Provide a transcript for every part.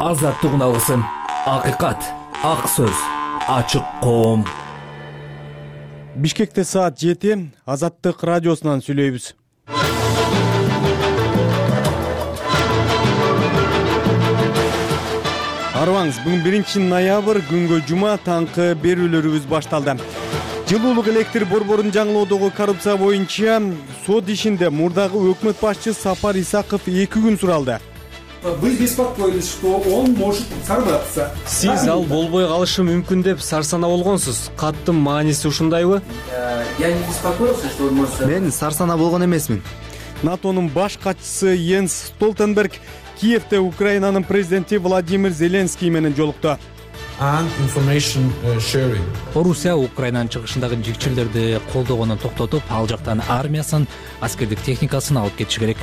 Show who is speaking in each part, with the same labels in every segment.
Speaker 1: Азаттык алгысым, акыйкат, ак сөз, ачык коом.
Speaker 2: Бишкекте саат 7, Азаттык радиосунан сүйлөйбүз. Арыбаңыз, бүгүн 1 ноябрь, күнгө жума, таңкы берүүлөрүбүз башталды. Жылуулук электр борборун жаңылоодогу коррупция боюнча сот ишинде мурдагы өкмөт башчысы Сапар Исаков 2 күн суралды.
Speaker 3: Вы беспокоились, что он может сорваться.
Speaker 4: Сиз ал болбой калышы мүмкүн деп сарсана болгонсуз. Каттын мааниси ушундайбы?
Speaker 5: Я не беспокоился, что он может...
Speaker 4: Мен сарсана болгон эмесмин.
Speaker 2: НАТОнун баш катчысы Йенс Столтенберг Киевде Украинанын президенти Владимир Зеленский менен жолукту.
Speaker 1: Орусия Украинанын чыгышындагы жигчилерди колдогонун токтотуп, ал жактан армиясын, аскердик техникасын алып кетиши керек.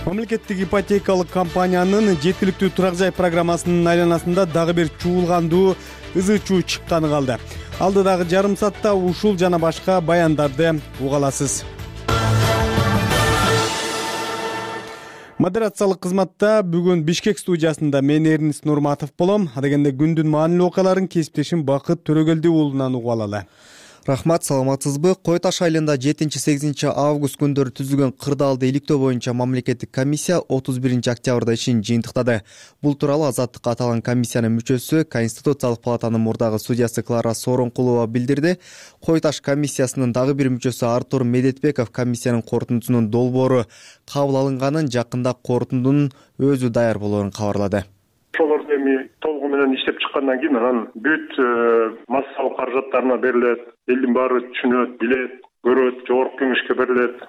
Speaker 2: Мамлекеттик ипотекалык компаниянын жеткиликтүү турак жай программасынын айланасында дагы бир чуулгандуу ызы-чуу чыкканы калды. Алдыдагы жарым саатта ушул жана башка баяндарды уга аласыз. Модерациялык кызматта бүгүн Бишкек студиясында мен Эрнис Нурматов болом. Адегенде күндүн маанилүү окуяларын кесиптешим Бакыт Төрөгелди уулунан угуп алалы.
Speaker 6: Рахмат, саламатсызбы? Кой Таш айылында 7-8 август күндөрү түзүлгөн кырдаалды иликтөө боюнча мамлекеттик комиссия 31 октябрда ишин жыйынтыктады. Бул тууралуу Азаттыкка аталган комиссиянын мүчөсү, Конституциялык палатанын мурдагы судьясы Клара Сооронкулова билдирди. Кой Таш комиссиясынын дагы бир мүчөсү Артур Медетбеков комиссиянын корутундусунун долбоору кабыл алынганын, жакында корутундунун өзү даяр болоорун кабарлады.
Speaker 7: Ошолорду эми толугу менен иштеп чыккандан кийин анан бүт массалык каражаттарына берилет, элдин баары түшүнөт, билет, көрөт, жогорку кеңешке берилет.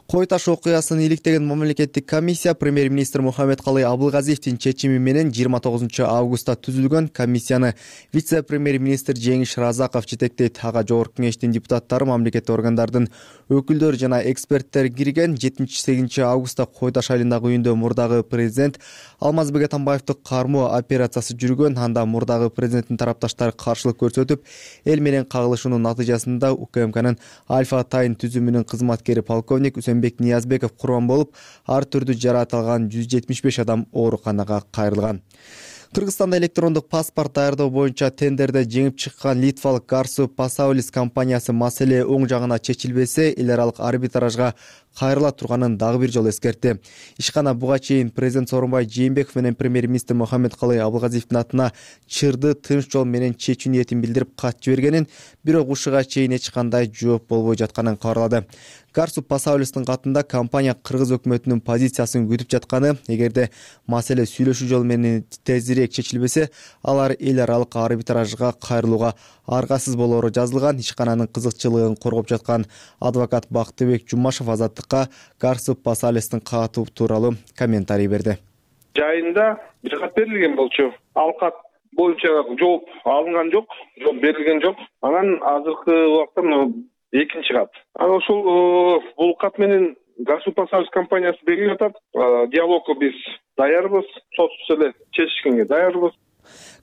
Speaker 6: Кой Таш окуясын иликтеген мамлекеттик комиссия премьер-министр Мухаммедкалый Абылгазиевдин чечими менен 29 августта түзүлгөн комиссияны вице-премьер-министр Жеңиш Разаков жетектейт. Ага жогорку кеңештин депутаттары, мамлекеттик органдардын өкүлдөрү жана эксперттер кирген. 7-8 августта Кой Таш айылындагы үйүндө мурдагы президент Алмазбек Атамбаевди кармоо операциясы жүргөн. Анда мурдагы президенттин тарапташтары каршылык көрсөтүп, эл менен кагылышуунун натыйжасында УКМКнын Альфа Тайн түзүмүнүн кызматкери полковник Бек Ниязбеков курбан болуп, ар түрдүү жараат алган 175 адам ооруканага кайрылган. Кыргызстанда электрондук паспорт даярдоо боюнча тендерде жеңип чыккан литвалык Garsu Pasaulis компаниясы маселе оң жагына чечилбесе, эл аралык арбитражга кайрыла турганын дагы бир жолу эскертти. Ишкана буга чейин президент Сооронбай Жээнбеков менен премьер-министр Мухаммедкалый Абылгазиевдин атына чырды тынч жол менен чечүү ниетин билдирип кат жибергенин, бирок ушуга чейин эч кандай жооп болбой жатканын кабарлады. Garsu Pasaulistин катында компания кыргыз өкмөтүнүн позициясын күтүп жатканы, эгерде маселе сүйлөшүү жолу менен тезирээк чечилбесе, алар эл аралык арбитражга кайрылууга аргасыз болоору жазылган. Ишкананын кызыкчылыгын коргоп жаткан адвокат Бактыбек Жумашев Азаттыкка Garsu Pasaulistин катуу тууралуу комментарий берди.
Speaker 8: Жайында кат берилген болчу. Ал кат боюнча жооп алынган жок, жооп берилген жок. Анан азыркы убакта экинчи кат. Анан ошол бул кат менен Garsu Pasaulis компаниясы берип атат. Диалогко биз даярбыз, сотсуз эле чечишкенге даярбыз.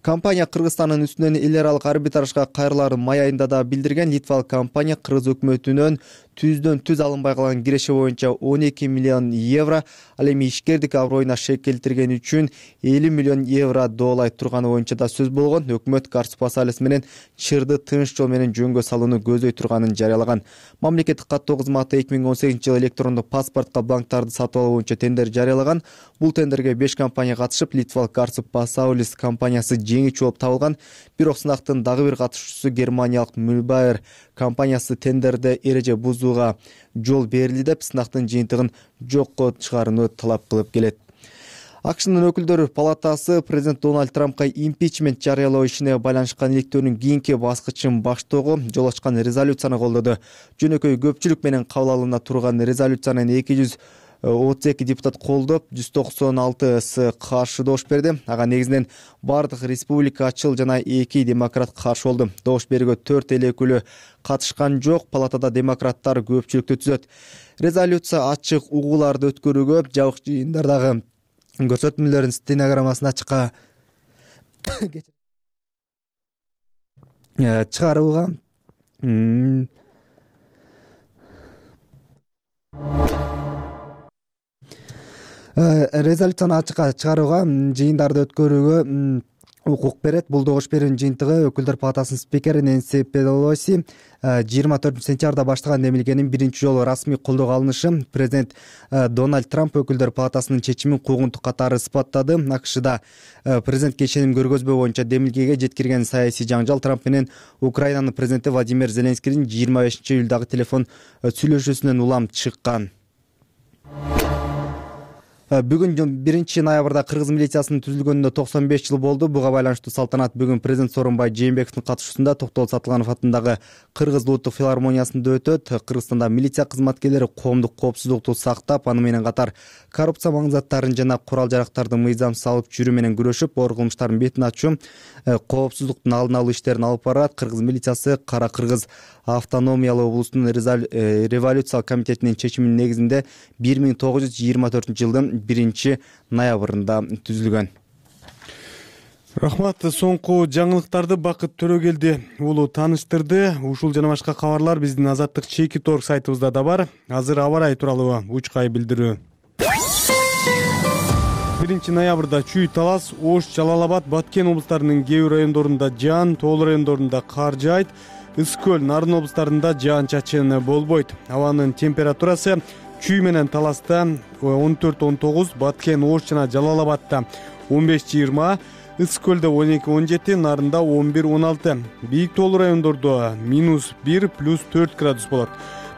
Speaker 6: Компания Кыргызстандын үстүнөн эл аралык арбитражга кайрылаарын май айында да билдирген. Литвалык компания кыргыз өкмөтүнөн түздөн түз алынбай калган киреше боюнча 12 миллион евро, ал эми ишкердик аброюна шек келтиргени үчүн 50 миллион евро доолай турганы боюнча да сөз болгон. Өкмөт Garsu Pasaulis менен чырды тынч жол менен жөнгө салууну көздөй турганын жарыялаган. Мамлекеттик каттоо кызматы 2018-жылы электрондук паспортко бланктарды сатып алуу боюнча тендер жарыялаган. Бул тендерге 5 компания катышып, Литвалык Garsu Pasaulis компаниясы жеңүүчү болуп табылган. Бирок сынактын дагы бир катышуучусу Германиялык Mühlbauer компаниясы тендерде эреже бузууга жол берилди деп сынактын жыйынтыгын жокко чыгарууну талап кылып келет. АКШнын өкүлдөр палатасы президент Дональд Трампка импичмент жарыялоо ишине байланышкан иликтөөнүн кийинки баскычын баштоого жол ачкан резолюцияны колдоду. Жөнөкөй көпчүлүк менен кабыл алына турган резолюцияны 232 депутат колдоп, 196 каршы добуш берди. Ага негизинен бардык республикачыл жана 2 демократ каршы болду. Добуш берүүгө 4 эл өкүлү катышкан жок. Палатада демократтар көпчүлүктү түзөт. Резолюция ачык угууларды өткөрүүгө, жабык жыйындардагы көрсөтмөлөрдүн стенограммасын ачыкка чыгарууга резолюцияны ачыкка чыгарууга, жыйындарды өткөрүүгө укук берет. Бул добуш берүүнүн жыйынтыгы Өкүлдөр палатасынын спикери Нэнси Пелоси 24-сентябрда баштаган демилгенин биринчи жолу расмий колдоого алынышы. Президент Дональд Трамп Өкүлдөр палатасынын чечимин куугунтук катары ысбаттады. АКШда президентке ишеним көргөзбөө боюнча демилгеге жеткирген саясий жаңжал Трамп менен Украинанын президенти Владимир Зеленскийдин 25-июлдагы телефон сүйлөшүүсүнөн улам чыккан. Бүгүн 1-ноябрда кыргыз милициясынын түзүлгөнүнө 95 жыл болду. Буга байланыштуу салтанат бүгүн президент Сооронбай Жээнбековдун катышуусунда Токтол Сатылганов атындагы Кыргыз улуттук филармониясында өтөт. Кыргызстанда милиция кызматкерлери коомдук коопсуздукту сактап, аны менен катар коррупция маңзаттарын жана курал-жарактарды мыйзамсыз алып жүрүү менен күрөшүп, оор кылмыштардын бетин ачуу, коопсуздуктун алдын алуу иштерин алып барат. Кыргыз милициясы Кара Кыргыз автономиялуу облустунун революциялык комитетинин чечиминин негизинде 1924 жылдын 1-ноябрында түзүлгөн.
Speaker 2: Рахмат. Соңку жаңылыктарды Бакыт Төрөгелди уулу тааныштырды. Ушул жана башка кабарлар биздин Азаттык Чеки.org сайтыбызда да бар. Азыр аба ырайы тууралуу учкай билдирүү. 1-ноябрда Чүй, Талас, Ош, Жалал-Абад, Баткен облустарынын кээ бир райондорунда жаан, тоолуу райондорунда кар жаайт. Ысык көл, Нарын облустарында жаан-чачын болбойт. Абанын температурасы Чүй менен Таласта 14-19, Баткен, Ош жана Жалал-Абадта 15-20, Ысык көлдө 12-17, Нарында 11-16. Бийик тоолуу райондордо -1 +4 градус болот.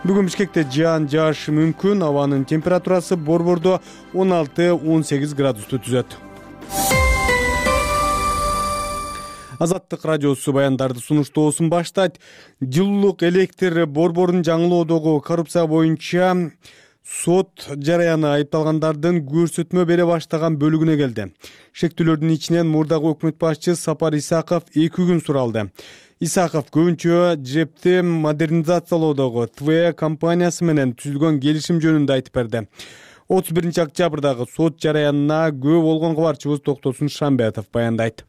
Speaker 2: Бүгүн Бишкекте жаан жаашы мүмкүн. Абанын температурасы Борбордо 16-18 градусту түзөт. Азаттык радиосу баяндарды сунуштоосун баштайт. Жылуулук электр борборун жаңылоодогу коррупция боюнча сот жараяны айыпталгандардын көрсөтмө бере баштаган бөлүгүнө келди. Шектүүлөрдүн ичинен мурдагы өкмөт башчы Сапар Исаков 2 күн суралды. Исаков көбүнчө ЖЭПти модернизациялоодогу ТВЭ компаниясы менен түзүлгөн келишим жөнүндө айтып берди. 31-октябрдагы сот жараянына күбө болгон кабарчыбыз Токтосун Шамбетов баяндайт.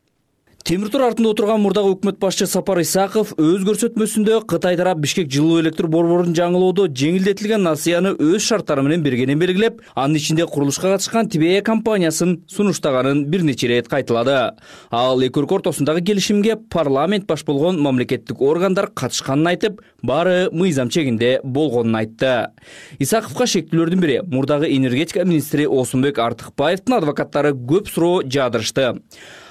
Speaker 1: Темир тур артында отурган мурдагы өкмөт башчы Сапар Исаков өз көрсөтмөсүндө Кытай тарап Бишкек жылуу электр борборун жаңылоодо жеңилдетилген насыяны өз шарттары менен бергенин белгилеп, анын ичинде курулушка катышкан ТВЭ компаниясын сунуштаганын бир нече ирет кайталады. Ал эки өлкө ортосундагы келишимге парламент баш болгон мамлекеттик органдар катышканын айтып, баары мыйзам чегинде болгонун айтты. Исаковго шектүүлөрдүн бири мурдагы энергетика министри Осунбек Артыкбаевдин адвокаттары көп суроо жаадырышты.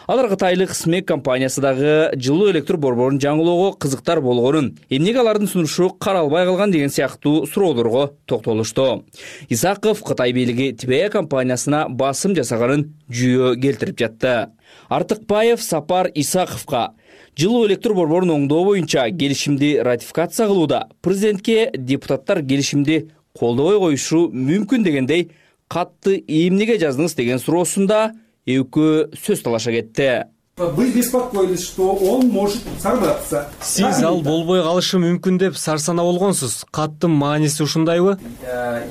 Speaker 1: Алар кытайлык СМЭК компаниясы дагы жылуу электр борборун жаңылоого кызыктар болгонун, эмнеге алардын сунушу каралбай калган деген сыяктуу суроолорго токтолушту. Исаков Кытай бийлиги ТВЭ компаниясына басым жасаганын жүйө келтирип жатты. Артыкбаев Сапар Исаковго жылуу электр борборун оңдоо боюнча келишимди ратификация кылууда президентке депутаттар келишимди колдобой коюшу мүмкүн дегендей катты эмнеге жаздыңыз деген суроосунда экөө сөз талаша кетти.
Speaker 3: Вы беспокоились, что он может сорваться.
Speaker 4: Сиз ал болбой калышы мүмкүн деп сарсана болгонсуз. Каттын мааниси ушундайбы?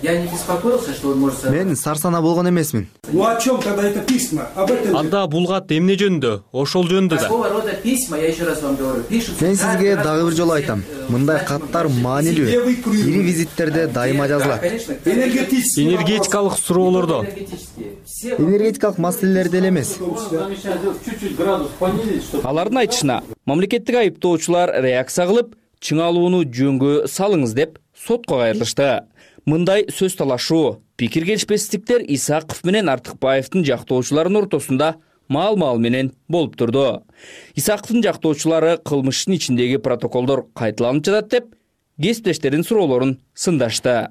Speaker 5: Я не беспокоился, что он может сорваться.
Speaker 6: Мен сарсана болгон эмесмин.
Speaker 3: Ну о чем тогда это письма? Об этом.
Speaker 4: Анда бул кат эмне жөнүндө? Ошол жөнүндө да.
Speaker 5: Такого рода письма, я еще раз вам говорю, пишут.
Speaker 6: Мен сизге дагы бир жолу айтам. Мындай каттар маанилүү. Ири визиттерде дайыма жазылат.
Speaker 4: Энергетикалык суроолордо.
Speaker 6: Энергетикалык маселелерде эле эмес.
Speaker 1: Алардын айтышына, мамлекеттик айыптоочулар реакция кылып, чыңалууну жөнгө салыңыз деп сотко кайрылышты. Мындай сөз талашуу, пикир келишпестиктер Исаков менен Артыкбаевдин жактоочуларынын ортосунда маал-маал менен болуп турду. Исаковдун жактоочулары кылмыштын ичиндеги протоколдор кайталанып жатат деп, кесиптештеринин суроолорун сындашты.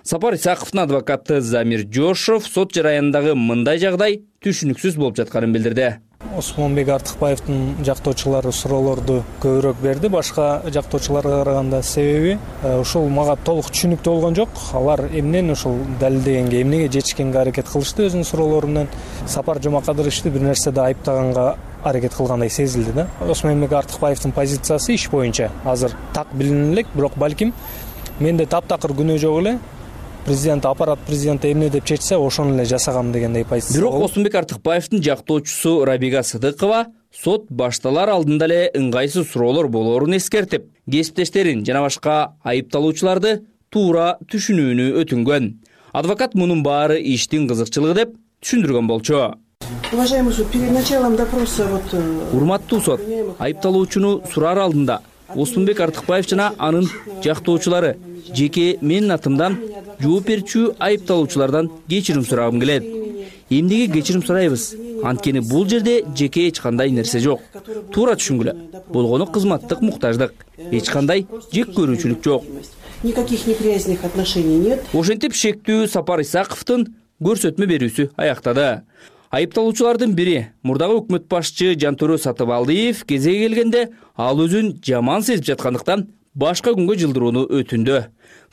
Speaker 1: Сапар Исаковдун адвокаты Замир Жошов сот жараянындагы мындай жагдай түшүнүксүз болуп жатканын билдирди.
Speaker 9: Осмонбек Артыкбаевдин жактоочулары суроолорду көбүрөөк берди, башка жактоочуларга караганда. Себеби ушул мага толук түшүнүктүү болгон жок. Алар эмнен ушул далилдегенге, эмнеге жетишкенге аракет кылышты өзүнүн суроолорунан. Сапар Жомакадыровичти бир нерседе айыптаганга аракет кылгандай сезилди да. Осмонбек Артыкбаевдин позициясы иш боюнча азыр так билине элек, бирок балким менде таптакыр күнөө жок эле. Президент, аппарат президенти эмне деп чечсе, ошону эле жасагам дегендей позиция.
Speaker 1: Бирок Осмонбек Артыкбаевдин жактоочусу Рабига Сыдыкова сот башталар алдында эле ыңгайсыз суроолор болоорун эскертип, кесиптештерин жана башка айыпталуучуларды туура түшүнүүнү өтүнгөн. Адвокат мунун баары иштин кызыкчылыгы деп түшүндүргөн болчу.
Speaker 10: Уважаемый суд, перед началом допроса
Speaker 1: Урматтуу сот, айыпталуучуну сураар алдында Оспунбек Артыкбаев жана анын жактоочулары жеке менин атымдан жооп берүүчү айыпталуучулардан кечирим сурагым келет. Эмнеге кечирим сурайбыз? Анткени бул жерде жеке эч кандай нерсе жок. Туура түшүнгүлө. Болгону кызматтык муктаждык. Эч кандай жек көрүүчүлүк жок.
Speaker 10: Никаких неприязных отношений нет.
Speaker 1: Ошентип шектүү Сапар Исаковдун көрсөтмө берүүсү аяктады. Айыпталуучулардын бири мурдагы өкмөт башчы Жантөрө Сатыбалдиев кезеги келгенде ал өзүн жаман сезип жаткандыктан башка күнгө жылдырууну өтүндү.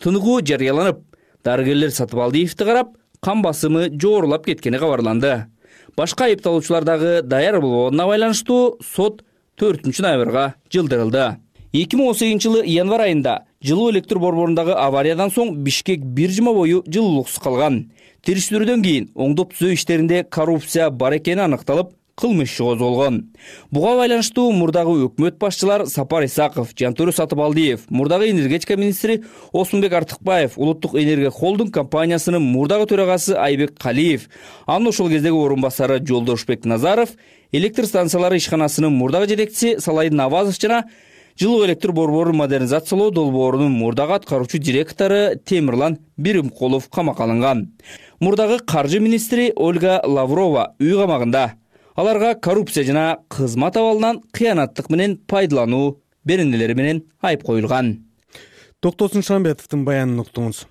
Speaker 1: Тыныгуу жарыяланып, дарыгерлер Сатыбалдиевди карап, кан басымы жогорулап кеткени кабарланды. Башка айыпталуучулар дагы даяр болбогонуна байланыштуу сот 4-ноябрга жылдырылды. 2018 январь айында жылуу электр борборундагы авариядан соң Бишкек бир жума бою жылуулуксуз калган. Териштирүүдөн кийин оңдоп түзөө иштеринде коррупция бар экени аныкталып, кылмыш иши козголгон. Буга байланыштуу мурдагы өкмөт башчылар Сапар Исаков, Жантөрө Сатыбалдиев, мурдагы энергетика министри Оспунбек Артыкбаев, Улуттук энергия холдинг компаниясынын мурдагы төрагасы Айбек Калиев, анын ошол кездеги орун басары Жолдошбек Назаров, электр станциялары ишканасынын мурдагы жетекчиси Салайдын Навазов жана жылуу электр борборун модернизациялоо долбоорунун мурдагы аткаруучу директору Темирлан Биримкулов камакка алынган. Мурдагы каржы министри Ольга Лаврова үй камагында. Аларга коррупция жана кызмат абалынан кыянаттык менен пайдалануу беренелери менен айып коюлган.
Speaker 2: Токтосун Шамбетовдун баянын уктуңуз.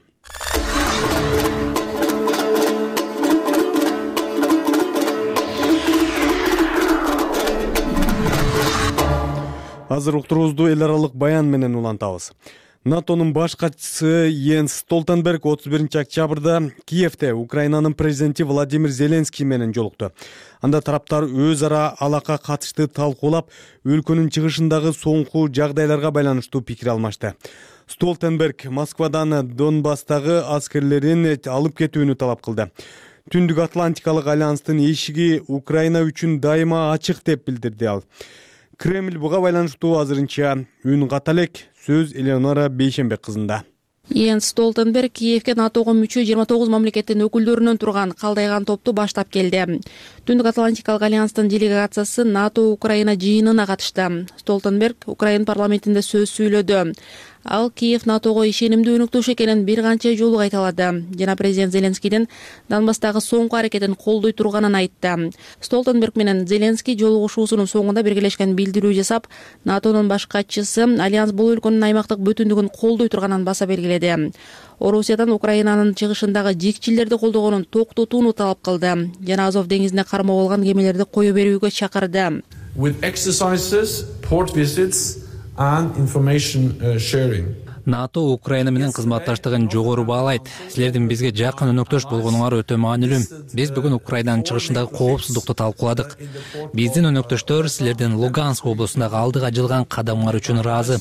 Speaker 2: Азыр уктуруубузду эл аралык баян менен улантабыз. НАТОнун баш катчысы Йенс Столтенберг 31-октябрда Киевде Украинанын президенти Владимир Зеленский менен жолукту. Анда тараптар өз ара алака катышты талкуулап, өлкөнүн чыгышындагы соңку жагдайларга байланыштуу пикир алмашты. Столтенберг Москвадан Донбасстагы аскерлерин алып кетүүнү талап кылды. Түндүк Атлантикалык альянстын эшиги Украина үчүн дайыма ачык деп билдирди ал. Кремль буга байланыштуу азырынча үн ката элек. Сөз Элеонора Бейшенбек кызында.
Speaker 11: Йенс Столтенберг Киевге НАТОго мүчө 29 мамлекеттин өкүлдөрүнөн турган калдайган топту баштап келди. Түндүк Атлантикалык альянстын делегациясы НАТО Украина жыйынына катышты. Столтенберг Украина парламентинде сөз сүйлөдү. Ал Киев НАТОго ишенимдүү өнөктөш экенин бир канча жолу кайталады. Жана президент Зеленскийдин Донбасстагы соңку аракетин колдой турганын айтты. Столтенберг менен Зеленский жолугушуусунун соңунда биргелешкен билдирүү жасап, НАТОнун баш катчысы альянс бул өлкөнүн аймактык бүтүндүгүн колдой турганын баса белгиледи. Орусиядан Украинанын чыгышындагы жикчилерди колдогонун токтотууну талап кылды. Жана Азов деңизине кармоо болгон кемелерди кое берүүгө чакырды.
Speaker 12: With exercises, port visits and information sharing.
Speaker 13: НАТО Украина менен кызматташтыгын жогору баалайт. Силердин бизге жакын өнөктөш болгонуңар өтө маанилүү. Биз бүгүн Украинанын чыгышындагы коопсуздукту талкууладык. Биздин өнөктөштөр силердин Луганск облусундагы алдыга жылган кадамыңар үчүн ыраазы.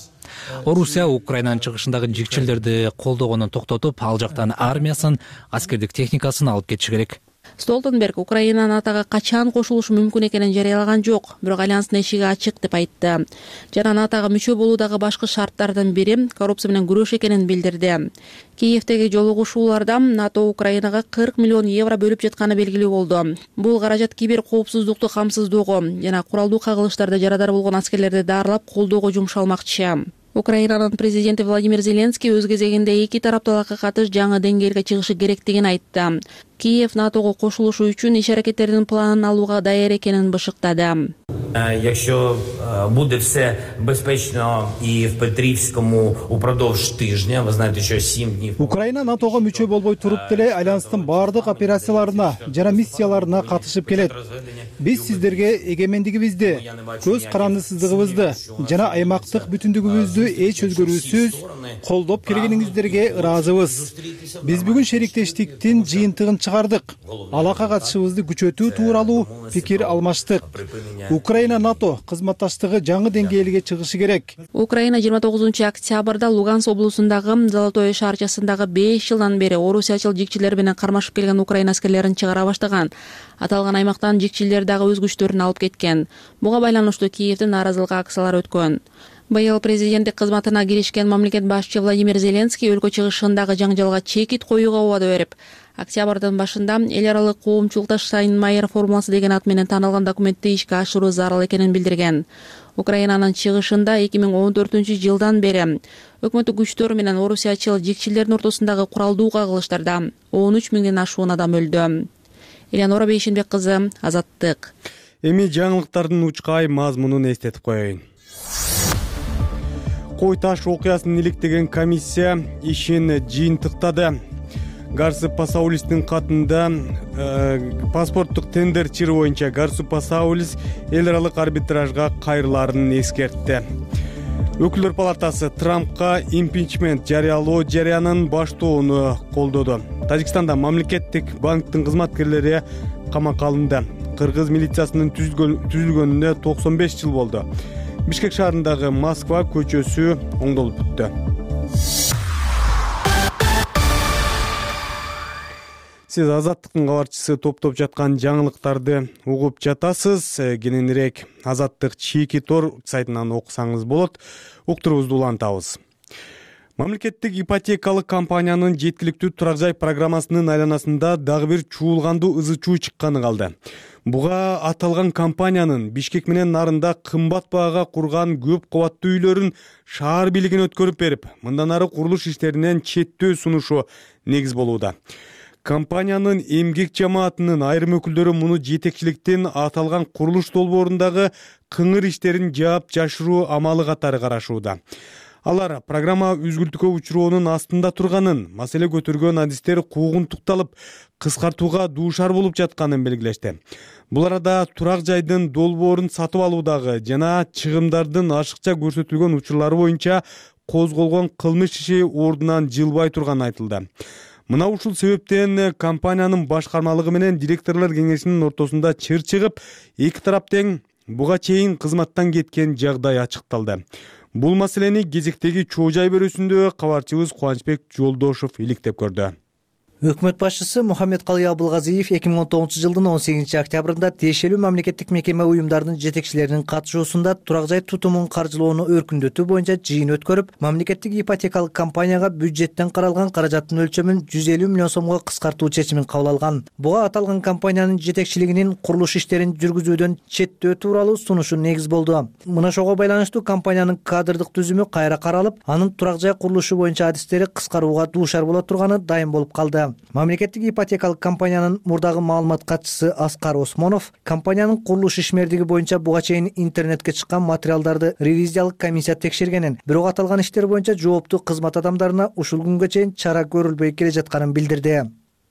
Speaker 13: Орусия Украинанын чыгышындагы жикчилерди колдогонун токтотуп, ал жактан армиясын, аскердик техникасын алып кетиши керек.
Speaker 11: Столтенберг Украина НАТОго качан кошулушу мүмкүн экенин жарыялаган жок, бирок альянстын эшиги ачык деп айтты. Жана НАТОго мүчө болуудагы башкы шарттардын бири коррупция менен күрөш экенин билдирди. Киевдеги жолугушууларда НАТО Украинага 40 миллион евро бөлүп жатканы белгилүү болду. Бул каражат кибер коопсуздукту камсыздоого жана куралдуу кагылыштарда жарадар болгон аскерлерди дарылап колдоого жумшалмакчы. Украинанын президенти Владимир Зеленский өз кезегинде эки тараптуулукка катыш жаңы деңгээлге чыгышы керектигин айтты. Киев НАТОго кошулушу үчүн иш аракеттердин планын алууга даяр экенин бышыктады.
Speaker 14: Якщо буде все безпечно і в Петрівському упродовж тижня, ви знаєте, що 7 днів.
Speaker 15: Украина НАТОго мүчө болбой туруп деле альянстын бардык операцияларына жана миссияларына катышып келет. Биз сиздерге эгемендигибизди, көз карандысыздыгыбызды жана аймактык бүтүндүгүбүздү эч өзгөрүүсүз колдоп келгениңиздерге ыраазыбыз. Биз бүгүн шериктештиктин жыйынтыгын чыгардык. Алака катышыбызды күчөтүү тууралуу пикир алмаштык. Украина НАТО кызматташтыгы жаңы деңгээлге чыгышы керек.
Speaker 11: Украина 29-октябрда Луганск облусундагы Золотое шаарчасындагы 5 жылдан бери орусиячыл жикчилер менен кармашып келген Украина аскерлерин чыгара баштаган. Аталган аймактан жикчилер дагы өз күчтөрүн алып кеткен. Буга байланыштуу Киевдин нааразылык акциялары өткөн. Быйыл президенттик кызматына киришкен мамлекет башчы Владимир Зеленский өлкө чыгышындагы жаңжалга чекит коюуга убада берип, октябрдын башында эл аралык коомчулукта Штайнмайер формуласы деген ат менен таанылган документти ишке ашыруу зарыл экенин билдирген. Украинанын чыгышында 2014-жылдан бери өкмөттүк күчтөр менен орусиячыл жекчилердин ортосундагы куралдуу кагылыштарда 13 миңден ашуун адам өлдү. Элеонора Бейшенбек кызы, Азаттык.
Speaker 2: Эми жаңылыктардын учкай мазмунун эстетип коеюн. Кой таш окуясын иликтеген комиссия ишин жыйынтыктады. Гарсу Пасаулистин катында паспорттук тендер чыры боюнча Гарсу Пасаулис эл аралык арбитражга кайрылаарын эскертти. Өкүлдөр палатасы Трампка импичмент жарыялоо жарыянын баштоону колдоду. Тажикстанда мамлекеттик банктын кызматкерлери камакка алынды. Кыргыз милициясынын түзүлгөнүнө 95 жыл болду. Бишкек шаарындагы Москва көчөсү оңдолуп бүттү. Сиз Азаттыктын кабарчысы топтоп жаткан жаңылыктарды угуп жатасыз. Кененирээк Азаттык чийки тор сайтынан окусаңыз болот. Уктуруубузду улантабыз. Мамлекеттик ипотекалык компаниянын жеткиликтүү турак жай программасынын айланасында дагы бир чуулгандуу ызы чуу чыкканы калды. Буга аталган компаниянын Бишкек менен нарында кымбат баага курган көп кабаттуу үйлөрүн шаар бийлигине өткөрүп берип, мындан ары курулуш иштеринен четтөө сунушу негиз болууда. Компаниянын эмгек жамаатынын айрым өкүлдөрү муну жетекчиликтин аталган курулуш долбоорундагы кыңыр иштерин жаап жашыруу амалы катары карашууда. Алар программа үзгүлтүккө учуроонун астында турганын, маселе көтөргөн адистер куугунтукталып, кыскартууга дуушар болуп жатканын белгилешти. Бул арада турак жайдын долбоорун сатып алуудагы жана чыгымдардын ашыкча көрсөтүлгөн учурлары боюнча козголгон кылмыш иши ордунан жылбай турганы айтылды. Мына ушул себептен компаниянын башкармалыгы менен директорлор кеңешинин ортосунда чыр чыгып, эки тарап тең буга чейин кызматтан кеткен жагдай ачыкталды. Бул маселени кезектеги чоо жай берүүсүндө кабарчыбыз Кубанычбек Жолдошов иликтеп көрдү.
Speaker 16: Өкмөт башчысы Мухаммедкалый Абылгазиев 2019 жылдын 18 октябрында тиешелүү мамлекеттик мекеме уюмдарынын жетекчилеринин катышуусунда турак жай тутумун каржылоону өркүндөтүү боюнча жыйын өткөрүп, мамлекеттик ипотекалык компанияга бюджеттен каралган каражаттын өлчөмүн 150 миллион сомго кыскартуу чечимин кабыл алган. Буга аталган компаниянын жетекчилигинин курулуш иштерин жүргүзүүдөн четтөө тууралуу сунушу негиз болду. Мына ошого байланыштуу компаниянын кадрдык түзүмү кайра каралып, анын турак жай курулушу боюнча адистери кыскарууга дуушар боло турганы дайым болуп калды. Мамлекеттик ипотекалык компаниянын мурдагы маалымат катчысы Аскар Осмонов компаниянын курулуш ишмердиги боюнча буга чейин интернетке чыккан материалдарды ревизиялык комиссия текшергенин, бирок аталган иштер боюнча жооптуу кызмат адамдарына ушул күнгө чейин чара көрүлбөй келе жатканын билдирди.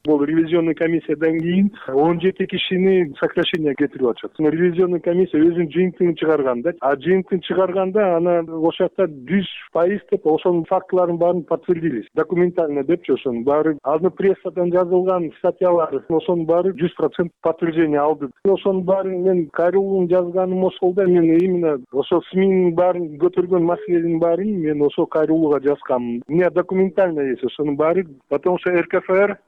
Speaker 7: Бул ревизионный комиссиядан кийин 17 кишини сокращение кетирип атышат. Ревизионный комиссия өзүнүн жыйынтыгын чыгарганда, жыйынтыгын чыгарганда ана ошол жакта 100% деп ошонун фактыларын баарын подтвердили. Документально депчи ошонун баары азыр прессадан жазылган статьялар, ошонун баары 100% подтверждение алды. Ошонун баарын мен кайрылуун жазганым ошол да, мен именно ошол СМИнин баарын көтөргөн маселенин баарын мен ошол кайрылууга жазгам. У меня документально есть ошонун баары, потому что РКФР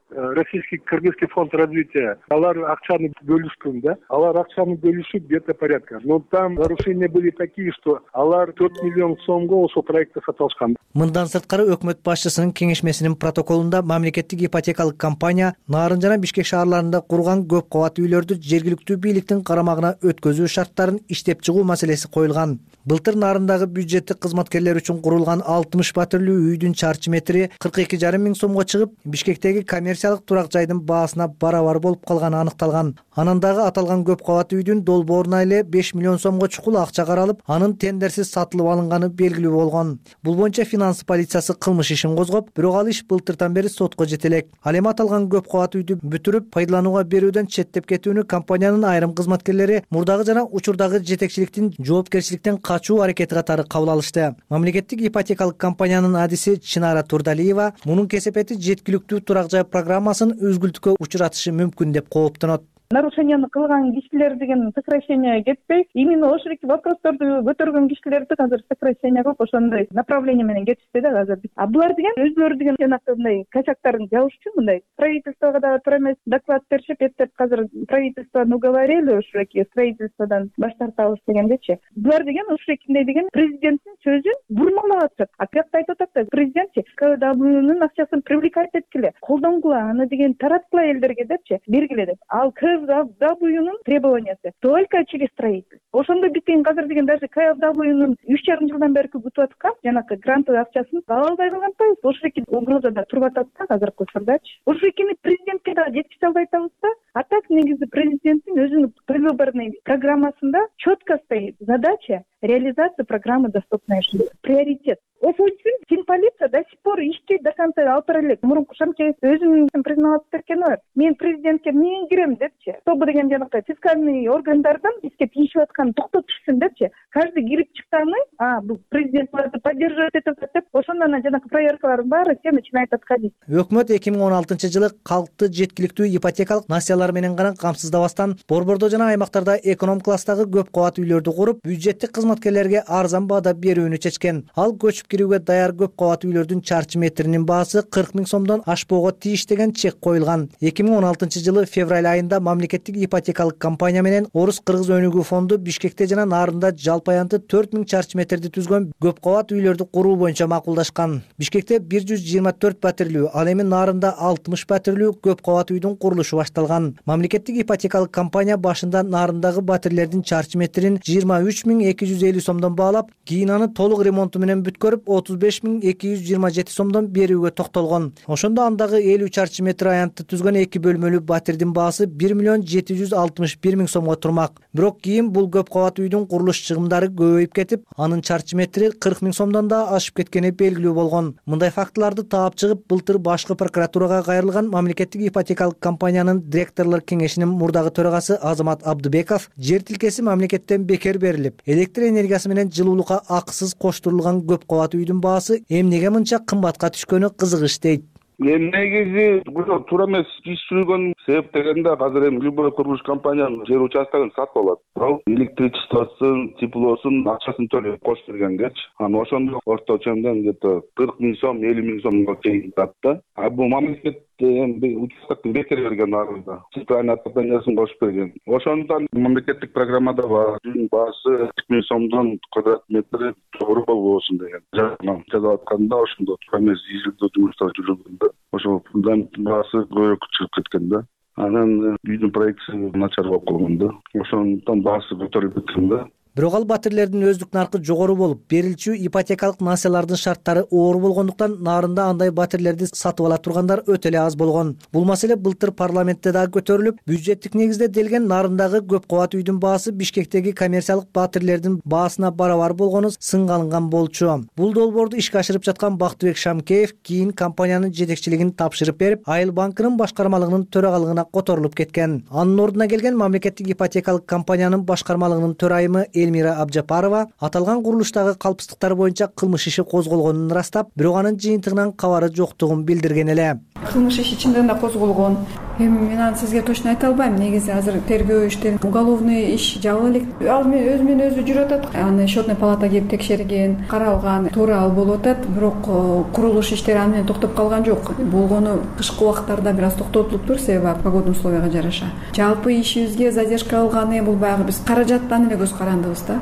Speaker 7: Российский Кыргызский фонд развития, алар акчаны бөлүшкөн да, алар акчаны бөлүшүп где-то порядка. Но там нарушения были такие, что алар 4 миллион сомго ошол проектти сатып алышкан.
Speaker 16: Мындан сырткары өкмөт башчысынын кеңешмесинин протоколунда мамлекеттик ипотекалык компания Нарын жана Бишкек шаарларында курган көп кабат үйлөрдү жергиликтүү бийликтин карамагына өткөзүү шарттарын иштеп чыгуу маселеси коюлган. Былтыр Нарындагы бюджеттик кызматкерлер үчүн курулган 60 патрулдуу үйдүн чарчы метри 42,5 миң сомго чыгып, Бишкектеги коммерциялык турак жайдын баасына барабар болуп калганы аныкталган. Анан дагы аталган көп кабат үйдүн долбооруна эле 5 миллион сомго чукул акча каралып, анын тендерсиз сатылып алынганы белгилүү болгон. Бул боюнча финанс полициясы кылмыш ишин козгоп, бирок ал иш былтыртан бери сотко жете элек. Ал эми аталган көп кабат үйдү бүтүрүп, пайдаланууга берүүдөн четтеп кетүүнү компаниянын айрым кызматкерлери мурдагы жана учурдагы жетекчиликтин жоопкерчиликтен качуу аракети катары кабыл алышты. Мамлекеттик ипотекалык компаниянын адиси Чинара Турдалиева мунун кесепети жеткиликтүү турак жай программасын үзгүлтүккө учуратышы мүмкүн деп кооптонот.
Speaker 17: нарушенияны кылган кишилер деген сокращение кетпей, именно ошол вопросторду көтөргөн кишилерди азыр сокращение кылып ошондой направление менен кетишти да азыр. А булар деген өзлөрү деген жанагы мындай косяктарын жабыш үчүн мындай правительствого да туура эмес доклад беришип, эптеп азыр правительствону уговорили ушуреки строительстводан баш тартабыз дегендечи. Булар деген ушурекиндей деген президенттин сөзүн бурмалап атышат. А каякта айтып атат да президентчи КФＷнун акчасын привлекать эткиле, колдонгула, аны деген тараткыла элдерге депчи, бергиле деп. Ал КФWнун требованиясы только через строительство. Ошондо биткен азыр деген даже КФWнун 3,5 жылдан бери күтүп аткан жанагы грантовый акчасын ала албай калган атпайбыз. Ошоки угрозада туруп атат да азыркы учурдачы. Ошокини президентке да жеткизе албай атабыз да. А так негизи президенттин өзүнүн предвыборный программасында четко стоит задача реализации программы «Доступная жизнь». Приоритет. Ошол үчүн финполиция до сих пор ишти до конца алып элек. Мурунку Шамкеев өзүнүн признавап беркени бар. Мен президентке эмнеге кирем депчи. Тобу деген жанакы фискальный органдардан бизге тиешип аткан токтотушсун депчи. Каждый кирип чыкканы, бул президент буларды поддерживать этип деп, ошондон жанакы проверкалардын баары все начинает отходить.
Speaker 16: Өкмөт 2016-жылы калкты жеткиликтүү ипотекалык насыялар менен гана камсыздабастан борбордо жана аймактарда эконом класстагы көп кабат үйлөрдү куруп, бюджеттик кызматкерлерге арзан баада берүүнү чечкен. Ал көчүп кирүүгө даяр көп кабат үйлөрдүн чарчы метринин баасы 40 000 сомдон ашпоого тийиш деген чек коюлган. 2016-жылы февраль айында мамлекеттик ипотекалык компания менен Орус-Кыргыз өнүгүү фонду Бишкекте жана Нарында жалпы аянты 4000 чарчы метрди түзгөн көп кабат үйлөрдү куруу боюнча макулдашкан. Бишкекте 124 пәтерлүү, ал эми Нарында 60 пәтерлүү көп кабат үйдүн курулушу башталган. Мамлекеттик ипотекалык компания башында Нарындагы пәтерлердин чарчы метрин 23 250 сомдон баалап, кийин аны толук ремонту менен бүткөрүп 35 227 сомдон берүүгө токтолгон. Ошондо андагы 50 чарчы метр аянтты түзгөн 2 бөлмөлүү батирдин баасы 1 761 000 сомго турмак. Бирок кийин бул көп кабат үйдүн курулуш чыгымдары көбөйүп кетип, анын чарчы метри 40 000 сомдон да ашып кеткени белгилүү болгон. Мындай фактыларды таап чыгып, былтыр башкы прокуратурага кайрылган мамлекеттик ипотекалык компаниянын директорлор кеңешинин мурдагы төрагасы Азамат Абдыбеков жер тилкеси мамлекеттен бекер берилип, электр энергиясы менен жылуулукка акысыз коштурулган көп кабат үйдүн баасы эмнеге мынча кымбатка түшкөнү кызыгыч дейт.
Speaker 18: Негизи туура эмес иш жүргөн себеп дегенде азыр эми любой курулуш компаниянын жер участкын сатып алат. Ал электричествосын, теплосун акчасын төлөп кош бергенгечи, анан ошондо орточо где-то 40 000 сом, 50 000 сомго чейин жатты. А бул мамлекет участкты бекер берген арызда. Центральный отоплениесин кошуп берген. Ошондон мамлекеттик программада бар үйдүн баасы 40 000 сомдон квадрат метри жогору болбосун деген. Жазып атканда ошондо туура эмес изилдөө жумуштары жүргөндө ошол фундаменттин баасы көбүрөөк чыгып кеткен да. Анан үйдүн проектиси начар болуп калган да. Ошондон баасы көтөрүлүп кеткен да.
Speaker 16: Бирок ал батирлердин өздүк наркы жогору болуп, берилчү ипотекалык насыялардын шарттары оор болгондуктан Нарында андай батирлерди сатып ала тургандар өтө эле аз болгон. Бул маселе былтыр парламентте да көтөрүлүп, бюджеттик негизде делген Нарындагы көп кабат үйдүн баасы Бишкектеги коммерциялык батирлердин баасына барабар болгону сынга алынган болчу. Бул долбоорду ишке ашырып жаткан Бактыбек Шамкеев кийин компаниянын жетекчилигин тапшырып берип, Айыл банкынын башкармалыгынын төрагалыгына которулуп кеткен. Анын ордуна келген мамлекеттик ипотекалык компаниянын башкармалыгынын төрайымы Элмира Абжапарова аталган курулуштагы калпсыздыктар боюнча кылмыш иши козголгонун ырастап, бирок анын жыйынтыгынан кабары жоктугун билдирген эле.
Speaker 19: Кылмыш иши чындыгында козголгон. Эми мен аны сизге точно айта албайм. Негизи азыр тергөө иштери, уголовный иш жабыла элек. Ал өзүнөн өзү жүрүп атат. Аны счетный палата келип текшерген, каралган, туура ал болуп атат. Бирок курулуш иштери аны менен токтоп калган жок. Болгону кышкы убактарда бир аз токтотулуптур, себеби погодный условияга жараша. Жалпы ишибизге задержка алганы бул баягы биз каражаттан эле көз карандыбыз да.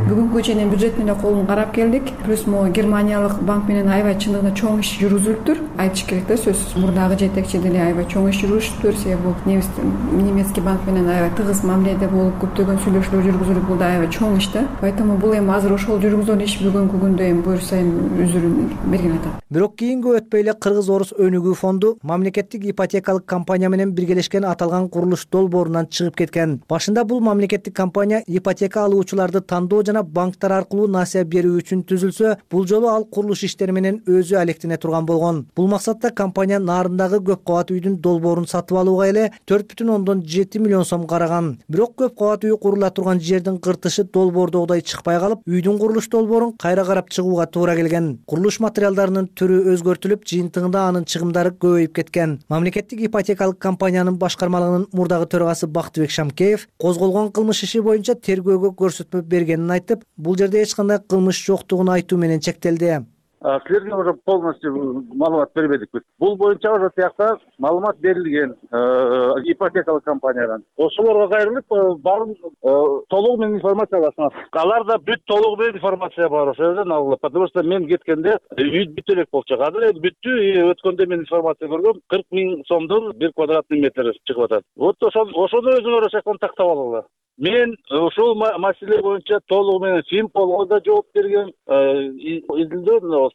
Speaker 19: Бүгүнкү чейин бюджет менен колун карап келдик. Плюс могу германиялык банк менен аябай чындыгында чоң иш жүргүзүлүптүр. Айтыш керек да, сөзсүз. Мурдагы жетекчи деле аябай чоң иш жүргүзүптүр. Себеби немецкий банк менен аябай тыгыз мамиледе болуп, көптөгөн сүйлөшүүлөр жүргүзүлүп, бул да аябай чоң иш да. Поэтому бул эми азыр ошол жүргүзгөн иш бүгүнкү күндө эми буюрса эми үзүрүн берген атат.
Speaker 16: Бирок кийинге өтпөй эле Кыргыз-Орус өнүгүү фонду мамлекеттик ипотекалык компания менен биргелешкен аталган курулуш долбоорунан чыгып кеткен. Башында бул мамлекеттик компания ипотека алуучулар курулуучуларды тандоо жана банктар аркылуу насыя берүү үчүн түзүлсө, бул жолу ал курулуш иштери менен өзү алектене турган болгон. Бул максатта компания Нарындагы көп кабат үйдүн долбоорун сатып алууга эле 4,7 миллион сом караган. Бирок көп кабат үй курула турган жердин кыртышы долбоордогудай чыкпай калып, үйдүн курулуш долбоорун кайра карап чыгууга туура келген. Курулуш материалдарынын түрү өзгөртүлүп, жыйынтыгында анын чыгымдары көбөйүп кеткен. Мамлекеттик ипотекалык компаниянын башкармалыгынын мурдагы төрагасы Бактыбек Шамкеев козголгон кылмыш иши боюнча тергөөгө көрсөтмө бергенин айтып, бул жерде эч кандай кылмыш жоктугун айтуу менен чектелди.
Speaker 18: Силерге уже полностью маалымат бербедик биз. Бул боюнча уже тиякта маалымат берилген ипотекалык компаниядан. Ошолорго кайрылып, баарын толугу менен информация аласыңар. Аларда бүт толугу менен информация бар ошол жерден алынып. Потому что мен кеткенде үй бүт элек болчу. Азыр эми бүттү, өткөндө мен информация көргөм, 40 000 сомдон 1 квадратный метр чыгып атат. Вот ошону өзүңөр ошондон тактап алыңар. Мен ошол маселе боюнча толугу менен Финполго да жооп берген, изилдөө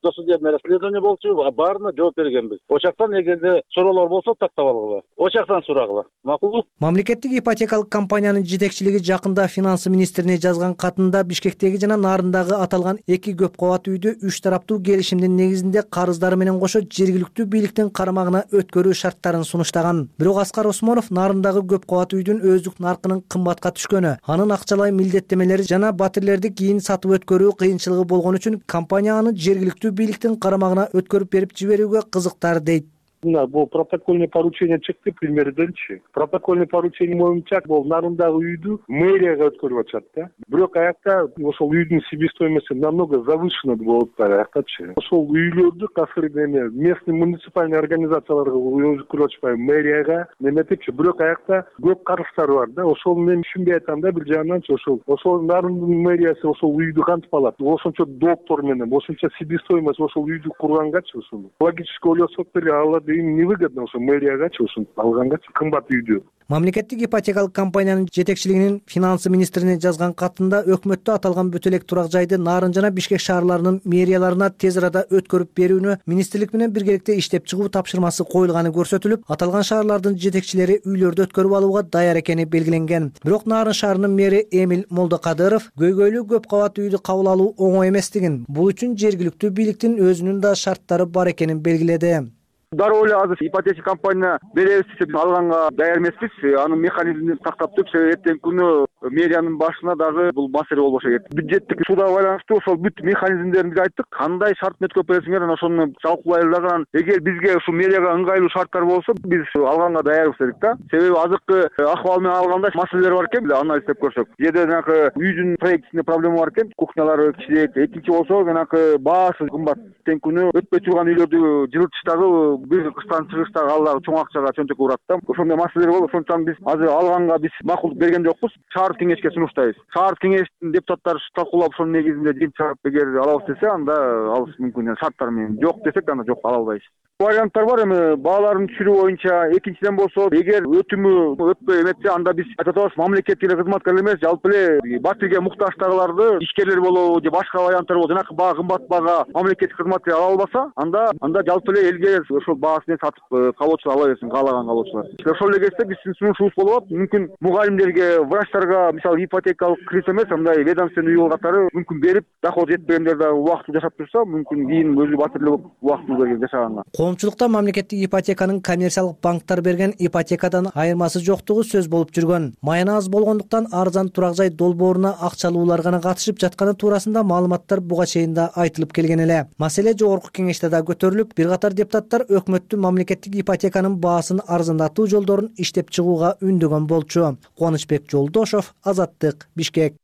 Speaker 18: досудебное расследование болчу, баарына жооп бергенбиз. Ошактан эгерде суроолор болсо тактап алгыла. Ошактан сурагыла. Макулбу?
Speaker 16: Мамлекеттик ипотекалык компаниянын жетекчилиги жакында финансы министрине жазган катында Бишкектеги жана Нарындагы аталган 2 көп кабат үйдү 3 тараптуу келишимдин негизинде карыздары менен кошо жергиликтүү бийликтин карамагына өткөрүү шарттарын сунуштаган. Бирок Аскар Осмонов Нарындагы көп кабат үйдүн өздүк наркынын кымбатка түшкөнү, анын акчалай милдеттемелери жана батирлерди кийин сатып өткөрүү кыйынчылыгы болгон үчүн компания аны жергиликтүү бийликтин карамагына өткөрүп берип жиберүүгө кызыктар дейт.
Speaker 7: Бул протокольный поручение чыкты премьерденчи. Протокольный поручение боюнча бул Нарындагы үйдү мэрияга өткөрүп атышат да. Бирок аякта ошол үйдүн себестоимости намного завышена болуп аяктачы. Ошол үйлөрдү касыр местный муниципальный организацияларга өткөрүп атышпай мэрияга неметипчи. Бирок аякта көп карыздары бар да. Ошол мен түшүнбөй атам да бир жагынан ошол Нарындын мэриясы ошол үйдү кантип алат? Ошончо доктор менен, ошончо себестоимость ошол үйдү кургангачы ошол. Логически ойлосок деле алар им невыгодно ошо мэриягачы ошо алгангачы кымбат үйдү.
Speaker 16: Мамлекеттик ипотекалык компаниянын жетекчилигинин финансы министрине жазган катында өкмөттө аталган бүт элек турак жайды Нарын жана Бишкек шаарларынын мэрияларына тез арада өткөрүп берүүнү министрлик менен биргеликте иштеп чыгуу тапшырмасы коюлганы көрсөтүлүп, аталган шаарлардын жетекчилери үйлөрдү өткөрүп алууга даяр экени белгиленген. Бирок Нарын шаарынын мэри Эмиль Молдокадыров көйгөйлүү көп кабат үйдү кабыл алуу оңой эместигин, бул үчүн жергиликтүү бийликтин өзүнүн да шарттары бар экенин белгиледи.
Speaker 18: Дароо эле азыр ипотека компания беребиз деп алганга даяр эмеспиз. Анын механизмин тактап туруп, эртең күнү мэриянын башына дагы бул маселе болбошу керек. Бюджеттик суда байланыштуу ошол бүт механизмдерин биз айттык. Кандай шарт өткөрүп бересиңер, ошону талкуулайлы дагы. Эгер бизге ушу мэрияга ыңгайлуу шарттар болсо, биз алганга даярбыз дедик да. Себеби азыркы акыбал менен алганда маселелер бар экен, анализдеп көрсөк. Жерде жанагы үйдүн проектисинде проблема бар экен, кухнялары кичирэк. Экинчи болсо, жанагы баасы кымбат. Эртең күнү өтпөй турган үйлөрдү жылытыштагы бир кыштан чыгышта алар чоң акчага чөнтөк урат да. Ошондой маселелер болуп, ошондуктан биз азыр алганга биз макулдук берген жокпуз. Шаар кеңешке сунуштайбыз. Шаар кеңештин депутаттары талкуулап ошонун негизинде жыйынтык чыгарып, эгер алабыз десе, анда алыш мүмкүн. Шарттар менен жок десек, анда жок ала албайбыз. Варианттар бар эми бааларын түшүрүү боюнча. Экинчиден болсо, эгер өтүмү өтпөй эметсе, анда биз айтып атабыз, мамлекеттик кызматкерлер эмес, жалпы эле батирге муктаждагыларды ишкерлер болобу же башка варианттар болобу, жанакы баа кымбат баага мамлекеттик кызматкер ала албаса, анда жалпы эле элге ошол баасын сатып калоочулар ала берсин, каалаган калоочулар. Ошол эле кезде биздин сунушубуз болуп, мүмкүн мугалимдерге, врачтарга, мисалы ипотекалык кредит эмес, андай ведомственный үй катары мүмкүн берип, доход жетпегендер да убактылуу жашап турса, мүмкүн кийин өзү батирлүү убактылуу жашаганга.
Speaker 16: Коомчулукта мамлекеттик ипотеканын коммерциялык банктар берген ипотекадан айырмасы жоктугу сөз болуп жүргөн. Майына аз болгондуктан арзан турак жай долбооруна акчалуулар гана катышып жатканы туурасында маалыматтар буга чейин да айтылып келген эле. Маселе жогорку кеңеште да көтөрүлүп, бир катар депутаттар өкмөттүн мамлекеттик ипотеканын баасын арзандатуу жолдорун иштеп чыгууга үндөгөн болчу. Кубанычбек Жолдошов, Азаттык, Бишкек.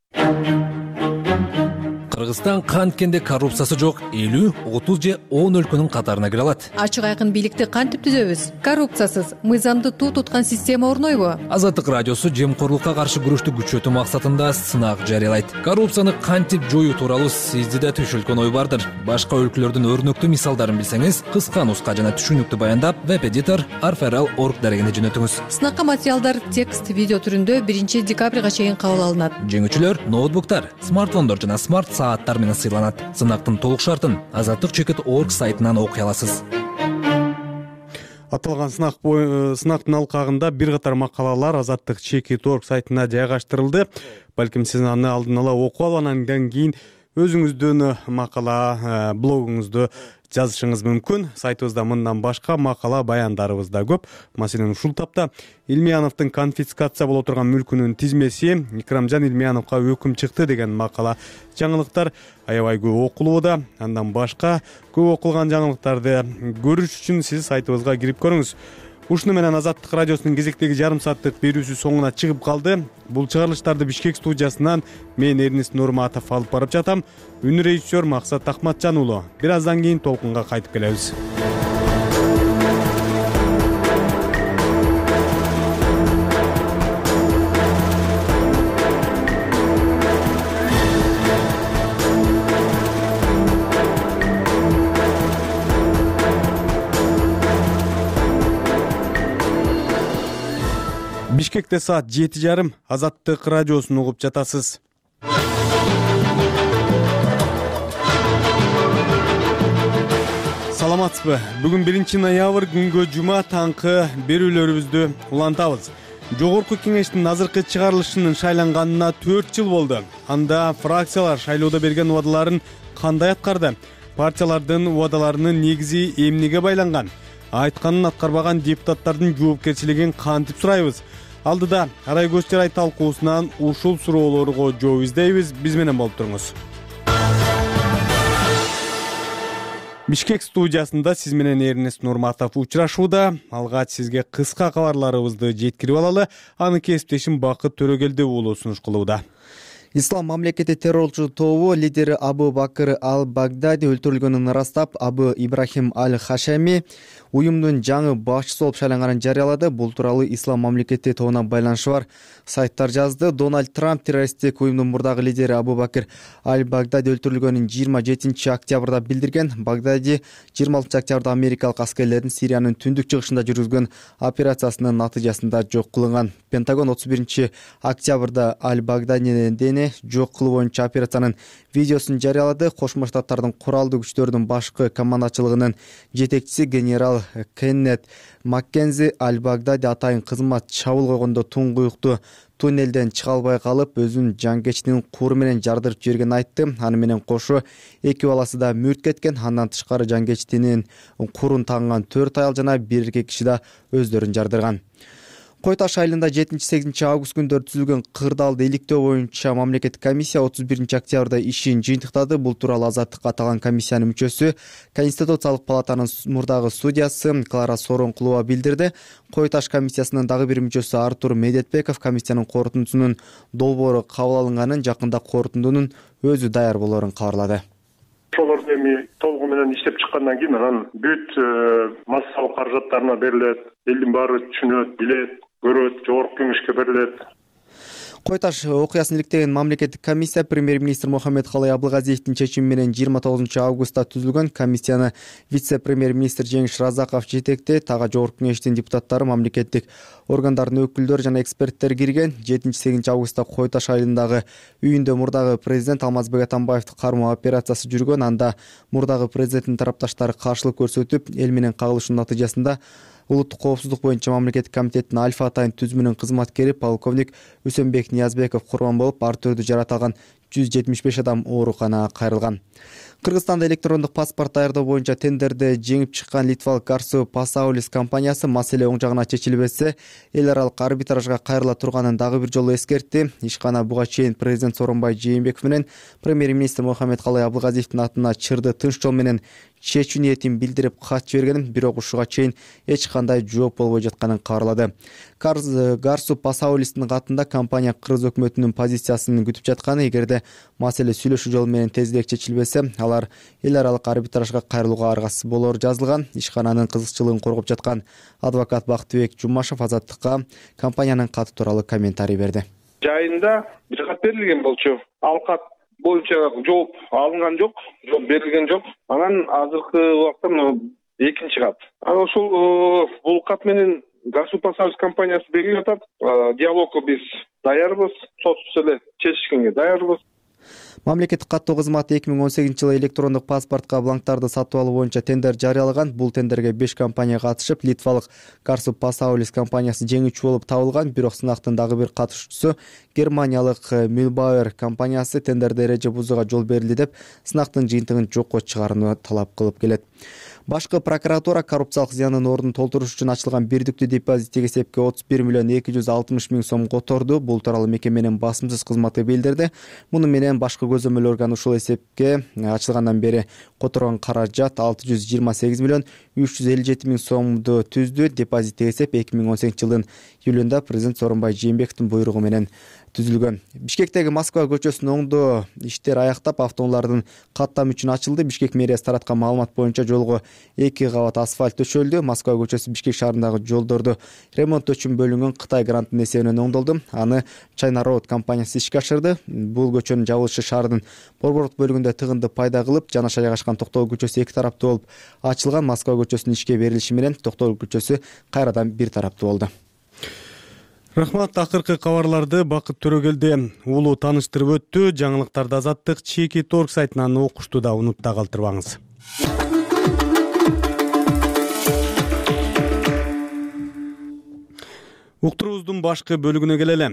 Speaker 13: Кыргызстан канткенде коррупциясы жок 50, 30 же 10 өлкөнүн катарына кире алат.
Speaker 20: Ачык айкын бийликти кантип түзөбүз? Коррупциясыз, мыйзамды туу туткан система орнойбу?
Speaker 13: Азаттык радиосу жемкорлукка каршы күрөштү күчөтүү максатында сынак жарыялайт. Коррупцияны кантип жоюу тууралуу сизде да түшүлгөн ой бардыр. Башка өлкөлөрдүн өрнөктүү мисалдарын билсеңиз, кыска нуска жана түшүнүктүү баяндап, веб-эдитор arferal.org дарегине жөнөтүңүз.
Speaker 20: Сынакка материалдар текст, видео түрүндө 1 декабрга чейин кабыл алынат.
Speaker 13: Жеңүүчүлөр ноутбуктар, смартфондор жана смарт сааттар менен сыйланат. Сынактын толук шартын Азаттык.org сайтынан окуй аласыз.
Speaker 2: Аталган сынактын алкагында бир катар макалалар Азаттык ЧК.org сайтына жайгаштырылды. Балким сиз аны алдын ала окуп алып, андан кийин өзүңүздүн макала блогуңузду жазышыңыз мүмкүн. Сайтыбызда мындан башка макала баяндарыбыз да көп. Маселен, ушул тапта Илмияновдун конфискация боло турган мүлкүнүн тизмеси, Икрамжан Илмияновго өкүм чыкты деген макала жаңылыктар аябай көп окулууда. Андан башка көп окулган жаңылыктарды көрүш үчүн сиз сайтыбызга кирип көрүңүз. Ушуну менен Азаттык радиосунун кезектеги жарым сааттык берүүсү соңуна чыгып калды. Бул чыгарылыштарды Бишкек студиясынан мен Эрнест Нурматов алып барып жатам. Үн режиссер Максат Ахматжан уулу. Бир аздан кийин толкунга кайтып келебиз. Бишкекте саат 7:30 Азаттык радиосун угуп жатасыз. Саламатсызбы? Бүгүн 1-ноябрь күнгө жума таңкы берүүлөрүбүздү улантабыз. Жогорку кеңештин азыркы чыгарылышынын шайланганына 4 жыл болду. Анда фракциялар шайлоодо берген убадаларын кандай аткарды? Партиялардын убадаларынын негизи эмнеге байланган? Айтканын аткарбаган депутаттардын жоопкерчилигин кантип сурайбыз? Алдыда Арай көз жарай талкуусунан ушул суроолорго жооп издейбиз. Биз менен болуп туруңуз. Бишкек студиясында сиз менен Эрнест Нурматов учурашууда. Алгач сизге кыска кабарларыбызды жеткирип алалы. Аны кесиптешим Бакыт Төрөгелди уулу сунуш кылууда.
Speaker 6: Ислам мамлекети террорчу тобу лидери Абу Бакыр Ал-Багдади өлтүрүлгөнүн ырастап, Абу Ибрахим Аль-Хашами уюмдун жаңы башчысы болуп шайланганын жарыялады. Бул тууралуу Ислам мамлекети тобуна байланышы бар сайттар жазды. Дональд Трамп террористтик уюмдун мурдагы лидери Абу Бакыр Аль-Багдади өлтүрүлгөнүн 27 октябрда билдирген. Багдади 26 октябрда америкалык аскерлердин Сириянын түндүк чыгышында жүргүзгөн операциясынын натыйжасында жок кылынган. Пентагон 31 октябрда Аль-Багдадини жок кылуу боюнча операциянын видеосун жарыялады. Кошмо Штаттардын куралдуу күчтөрдүн башкы командачылыгынын жетекчиси генерал Кеннет Маккензи Аль-Багдади атайын кызмат чабуул койгондо туңгуюктуу туннелден чыга албай калып, өзүнүн жангечтинин куру менен жардырып жибергенин айтты. Аны менен кошо эки баласы да мүрт кеткен. Андан тышкары жангечтинин курун тагынган 4 аял жана бир эркек киши да өздөрүн жардырган. Кой Таш айылында 7-8 август күндөрү түзүлгөн кырдаалды иликтөө боюнча мамлекеттик комиссия 31 октябрда ишин жыйынтыктады. Бул тууралуу Азаттыкка аталган комиссиянын мүчөсү, Конституциялык палатанын мурдагы судьясы Клара Соронкулова билдирди. Кой Таш комиссиясынын дагы бир мүчөсү Артур Медетбеков комиссиянын корутундусунун долбоору кабыл алынганын, жакында корутундунун өзү даяр болоорун кабарлады.
Speaker 7: Ошолорду эми толугу менен иштеп чыккандан кийин анан бүт массалык каражаттарына берилет, элдин баары түшүнөт, билет, көрөт, жогорку кеңешке берилет.
Speaker 6: Кой Таш окуясын иликтеген мамлекеттик комиссия премьер-министр Мухаммедкалый Абылгазиевдин чечими менен 29 августта түзүлгөн. Комиссияны вице-премьер-министр Жеңиш Разаков жетектейт. Тага жогорку кеңештин депутаттары, мамлекеттик органдардын өкүлдөрү жана эксперттер кирген. 7-8 августта Кой Таш айылындагы үйүндө мурдагы президент Алмазбек Атамбаевди кармоо операциясы жүргөн. Анда мурдагы президенттин тарапташтары каршылык көрсөтүп, эл менен кагылышуунун натыйжасында улуттук коопсуздук боюнча мамлекеттик комитеттин Альфа атайын түзүмүнүн кызматкери полковник Үсөнбек Ниязбеков курман болуп, ар түрдүү жаратылган 175 адам ооруканага кайрылган. Кыргызстанда электрондук паспорт даярдоо боюнча тендерде жеңип чыккан литвалык Garsu Pasaulis компаниясы маселе оң жагына чечилбесе, эл аралык арбитражга кайрыла турганын дагы бир жолу эскертти. Ишкана буга чейин президент Сооронбай Жээнбеков менен премьер-министр Мухаммедкалый Абылгазиевдин атына чырды тынч жол менен чечүү ниетин билдирип кат жибергенин, бирок ушуга чейин эч кандай жооп болбой жатканын кабарлады. Garsu Pasaulis'тин катында компания Кыргыз өкмөтүнүн позициясын күтүп жатканы, эгерде маселе сүйлөшүү жолу менен тезирээк чечилбесе, алар эл аралык арбитражга кайрылууга аргасыз болоору жазылган. Ишкананын кызыкчылыгын коргоп жаткан адвокат Бактыбек Жумашев Азаттыкка компаниянын каты тууралуу комментарий берди.
Speaker 8: Жайында бир кат берилген болчу. Ал кат боюнча жооп алынган жок, жооп берилген жок. Анан азыркы убакта экинчи кат. Анан ошол бул кат менен Garsu Pasaulis компаниясы берип атат. Диалогко биз даярбыз, сотсуз эле чечишкенге даярбыз.
Speaker 6: Мамлекеттик каттоо кызматы 2018-жылы электрондук паспортко бланктарды сатып алуу боюнча тендер жарыялаган. Бул тендерге 5 компания катышып, литвалык Карсуп Пасаулис компаниясы жеңүүчү болуп табылган. Бирок сынактын дагы бир катышуучусу германиялык Mühlbauer компаниясы тендерде эреже бузууга жол берилди деп сынактын жыйынтыгын жокко чыгарууну талап кылып келет. Башкы прокуратура коррупциялык зыяндын ордун толтуруш үчүн ачылган бирдиктүү депозиттик эсепке 31 миллион 260 миң сом которду. Бул тууралуу мекеменин басымсыз кызматы билдирди. Муну менен башкы көзөмөл орган ушул эсепке ачылгандан бери которгон каражат 628 миллион 357 миң сомду түздү. Депозиттик эсеп 2018-жылдын июлунда президент Сооронбай Жээнбековдун буйругу менен түзүлгөн. Бишкектеги Москва көчөсүнүн оңдо иштер аяктап, автоунаалардын каттам үчүн ачылды. Бишкек мэриясы тараткан маалымат боюнча жолго 2 кабат асфальт төшөлдү. Москва көчөсү Бишкек шаарындагы жолдорду ремонттоо үчүн бөлүнгөн Кытай грантынын эсебинен оңдолду. Аны China Road компаниясы ишке ашырды. Бул көчөнүн жабылышы шаардын борбордук бөлүгүндө тыгынды пайда кылып, жанаша жайгашкан Токтогул көчөсү 2 тараптуу болуп ачылган. Москва көчөсүнүн ишке берилиши менен Токтогул көчөсү кайрадан бир тараптуу болду.
Speaker 2: Рахмат. Акыркы кабарларды Бакыт Төрөгелди улуу тааныштырып өттү. Жаңылыктарды Азаттык Чеки Торг сайтынан окушту да унутта калтырбаңыз. Уктуруубуздун башкы бөлүгүнө келели.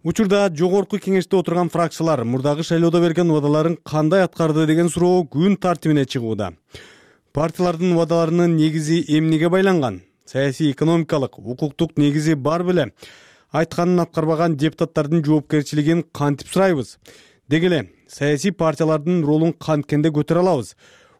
Speaker 2: Учурда жогорку кеңеште отурган фракциялар мурдагы шайлоодо берген убадаларын кандай аткарды деген суроо күн тартибине чыгууда. Партиялардын убадаларынын негизи эмнеге байланган? Саясий, экономикалык, укуктук негизи бар беле? Айтканын аткарбаган депутаттардын жоопкерчилигин кантип сурайбыз? Деги эле саясий партиялардын ролун канткенде көтөрө алабыз?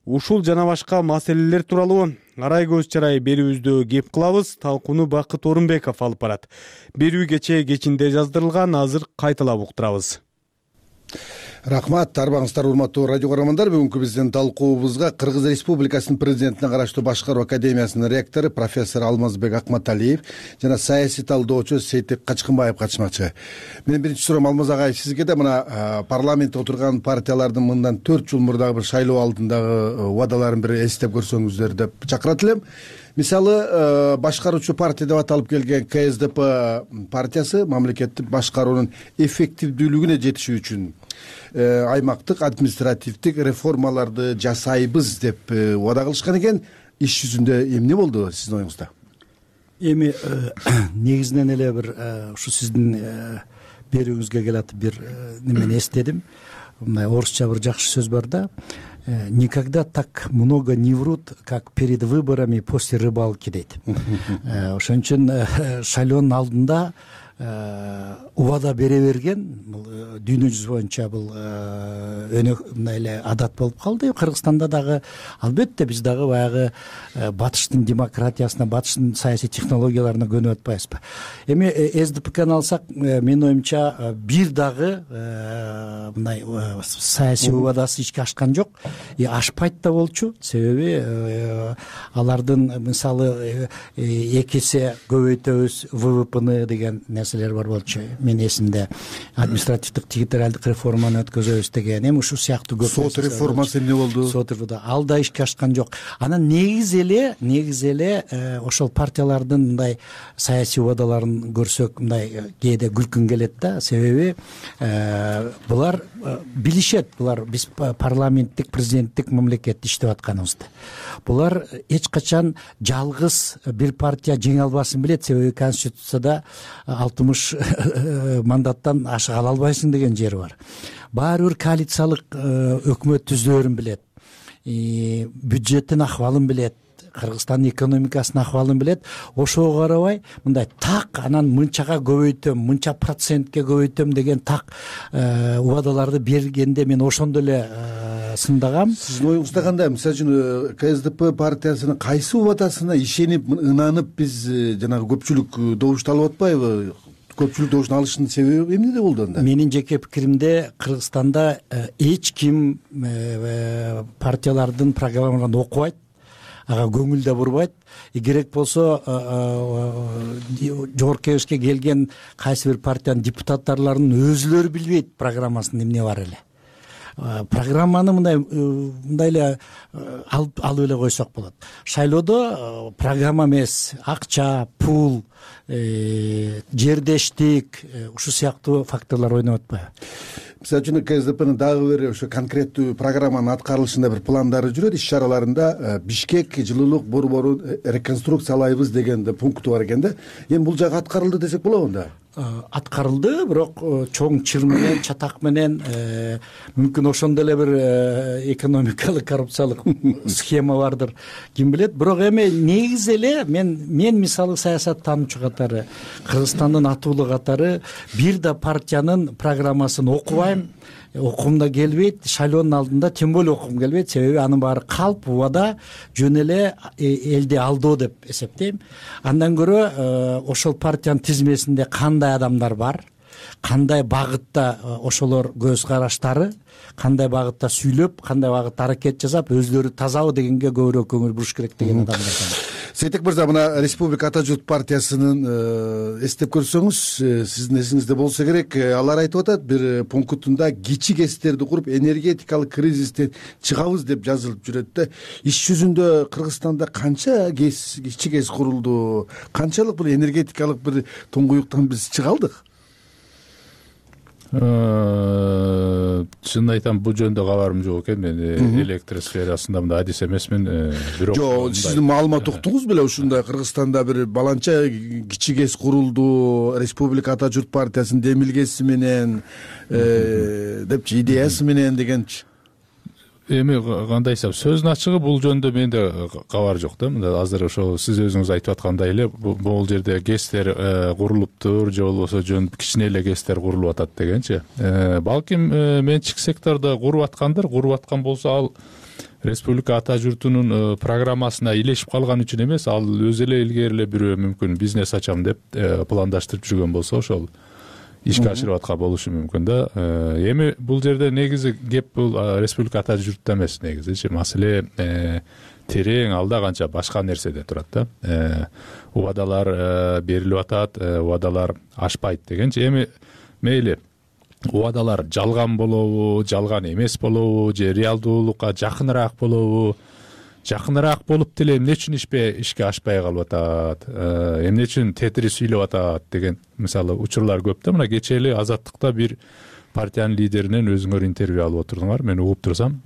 Speaker 2: Ушул жана башка маселелер тууралуу арай көз чарай берүүбүздө кеп кылабыз. Талкууну Бакыт Орунбеков алып барат. Берүү кечинде жаздырылган, азыр кайталап уктурабыз.
Speaker 21: Рахмат, арбаңыздар урматтуу радио көрөрмандар. Бүгүнкү биздин талкуубузга Кыргыз Республикасынын президентине караштуу Башкаруу академиясынын ректору профессор Алмазбек Акматалиев жана саясий талдоочу Сейтек Качкынбаев катышмакчы. Менин биринчи суроом Алмаз агай сизге да мына парламентте отурган партиялардын мындан 4 жыл мурдагы бир шайлоо алдындагы убадаларын бир эстеп көрсөңүздөр деп чакырат элем. Мисалы, башкаруучу партия деп аталып келген КСДП партиясы мамлекеттик башкаруунун эффективдүүлүгүнө жетиши үчүн аймактык административдик реформаларды жасайбыз деп убада кылышкан экен. Иш жүзүндө эмне болду сиздин оюңузда?
Speaker 22: Эми негизинен эле бир ушу сиздин берүүңүзгө келатып бир немени эстедим. Мындай орусча бир жакшы сөз бар да. Никогда так много не врут, как перед выборами после рыбалки дейт. Ошон үчүн шайлоонун алдында убада бере берген, дүйнө жүзү боюнча бул мындай эле адат болуп калды. Кыргызстанда дагы албетте биз дагы баягы батыштын демократиясына, батыштын саясий технологияларына көнүп атпайбызбы? Эми СДПКны алсак, менин оюмча бир дагы мындай саясий убадасы ишке ашкан жок. Ашпайт да болчу. Себеби алардын мисалы 2 эсе көбөйтөбүз ВВПны деген нерселер бар болчу. Мен эсимде административдик территориалдык реформаны өткөзөбүз деген. Эми ушул сыяктуу көп
Speaker 21: сот реформасы эмне болду?
Speaker 22: Сот реформасы ал да ишке ашкан жок. Анан негизи эле ошол партиялардын мындай саясий убадаларын көрсөк, мындай кээде күлкүң келет да. Себеби булар билишет, булар биз парламенттик, президенттик мамлекетте иштеп атканыбызды. Булар эч качан жалгыз бир партия жеңе албасын билет. Себеби конституцияда 60 мандаттан ашык ала албайсың деген жери бар. Баары бир коалициялык өкмөт түзөөрүн билет. Бюджеттин акыбалын билет. Кыргызстандын экономикасынын акыбалын билет. Ошого карабай мындай так анан мынчага көбөйтөм, мынча процентке көбөйтөм деген так убадаларды бергенде мен ошондо эле сындагам.
Speaker 21: Сиздин оюңузда кандай? Мисалы үчүн КСДП партиясынын кайсы убадасына ишенип, ынанып биз жанагы көпчүлүк добушту алып атпайбы? Көпчүлүк добуштун алышынын себеби эмнеде болду анда?
Speaker 22: Менин жеке пикиримде Кыргызстанда эч ким партиялардын программаларын окубайт, ага көңүл да бурбайт. Керек болсо жогорку кеңешке келген кайсы бир партиянын депутаттарынын өзүлөрү билбейт программасында эмне бар эле. программаны мындай эле алып эле койсок болот. Шайлоодо программа эмес, акча, пул, жердештик ушул сыяктуу факторлор ойноп атпайбы?
Speaker 21: Мисалы үчүн КСДПнын дагы бир ошо конкреттүү программанын аткарылышында бир пландары жүрөт. Иш чараларында Бишкек жылуулук борборун реконструкциялайбыз деген пункту бар экен да. Эми бул жагы аткарылды десек болобу анда?
Speaker 22: Аткарылды, бирок чоң чыр менен, чатак менен мүмкүн ошондой эле бир экономикалык коррупциялык схема бардыр, ким билет. Бирок эми негизи эле мен мисалы саясат таануучу катары, Кыргызстандын атуулу катары бир да партиянын программасын окубайм. Окугум да келбейт, шайлоонун алдында тем более окугум келбейт, себеби анын баары калп, убада, жөн эле элди алдоо деп эсептейм. Андан көрө ошол партиянын тизмесинде кандай адамдар бар, кандай багытта ошолор көз караштары, кандай багытта сүйлөп, кандай багытта аракет жасап, өзлөрү тазабы дегенге көбүрөөк көңүл буруш керек деген адамдар.
Speaker 21: Сейтек мырза, мына Республика Ата журт партиясынын эстеп көрсөңүз, сиздин эсиңизде болсо керек, алар айтып атат бир пунктунда кичи ГЭСтерди куруп энергетикалык кризистен чыгабыз деп жазылып жүрөт да. Иш жүзүндө Кыргызстанда канча кичи ГЭС курулду? Канчалык бул энергетикалык бир туңгуюктан биз чыга алдык?
Speaker 3: Чын айтам, бул жөнүндө кабарым жок экен. Мен электр сферасында мындай адис эмесмин. Бирок
Speaker 21: жок, сиздин маалымат уктуңуз беле ушундай Кыргызстанда бир баланча кичи ГЭС курулду, Республика Ата журт партиясынын демилгеси менен депчи, идеясы менен дегенчи.
Speaker 3: Эми кандай десем, сөздүн ачыгы бул жөнүндө менде кабар жок да. Мында азыр ошо сиз өзүңүз айтып аткандай эле бул жерде ГЭСтер курулуптур, же болбосо жөн кичине эле ГЭСтер курулуп атат дегенчи. Балким менчик сектордо куруп аткан болсо, ал Республика Ата журтунун программасына илешип калган үчүн эмес, ал өзү эле илгери эле бирөө мүмкүн бизнес ачам деп пландаштырып жүргөн болсо, ошол ишке ашырып аткан болушу мүмкүн да. Эми бул жерде негизи кеп бул Республика Ата журтта эмес, негизичи маселе терең, алда канча башка нерседе турат да. Убадалар берилип атат, убадалар ашпайт дегенчи. Эми мейли убадалар жалган болобу, жалган эмес болобу, же реалдуулукка жакыныраак болобу, жакыныраак болуп деле эмне үчүн ишке ашпай калып атат, эмне үчүн тетири сүйлөп атат деген мисалы учурлар көп да. Мына кечээ эле Азаттыкта бир партиянын лидеринен өзүңөр интервью алып отурдуңар, мен угуп турсам,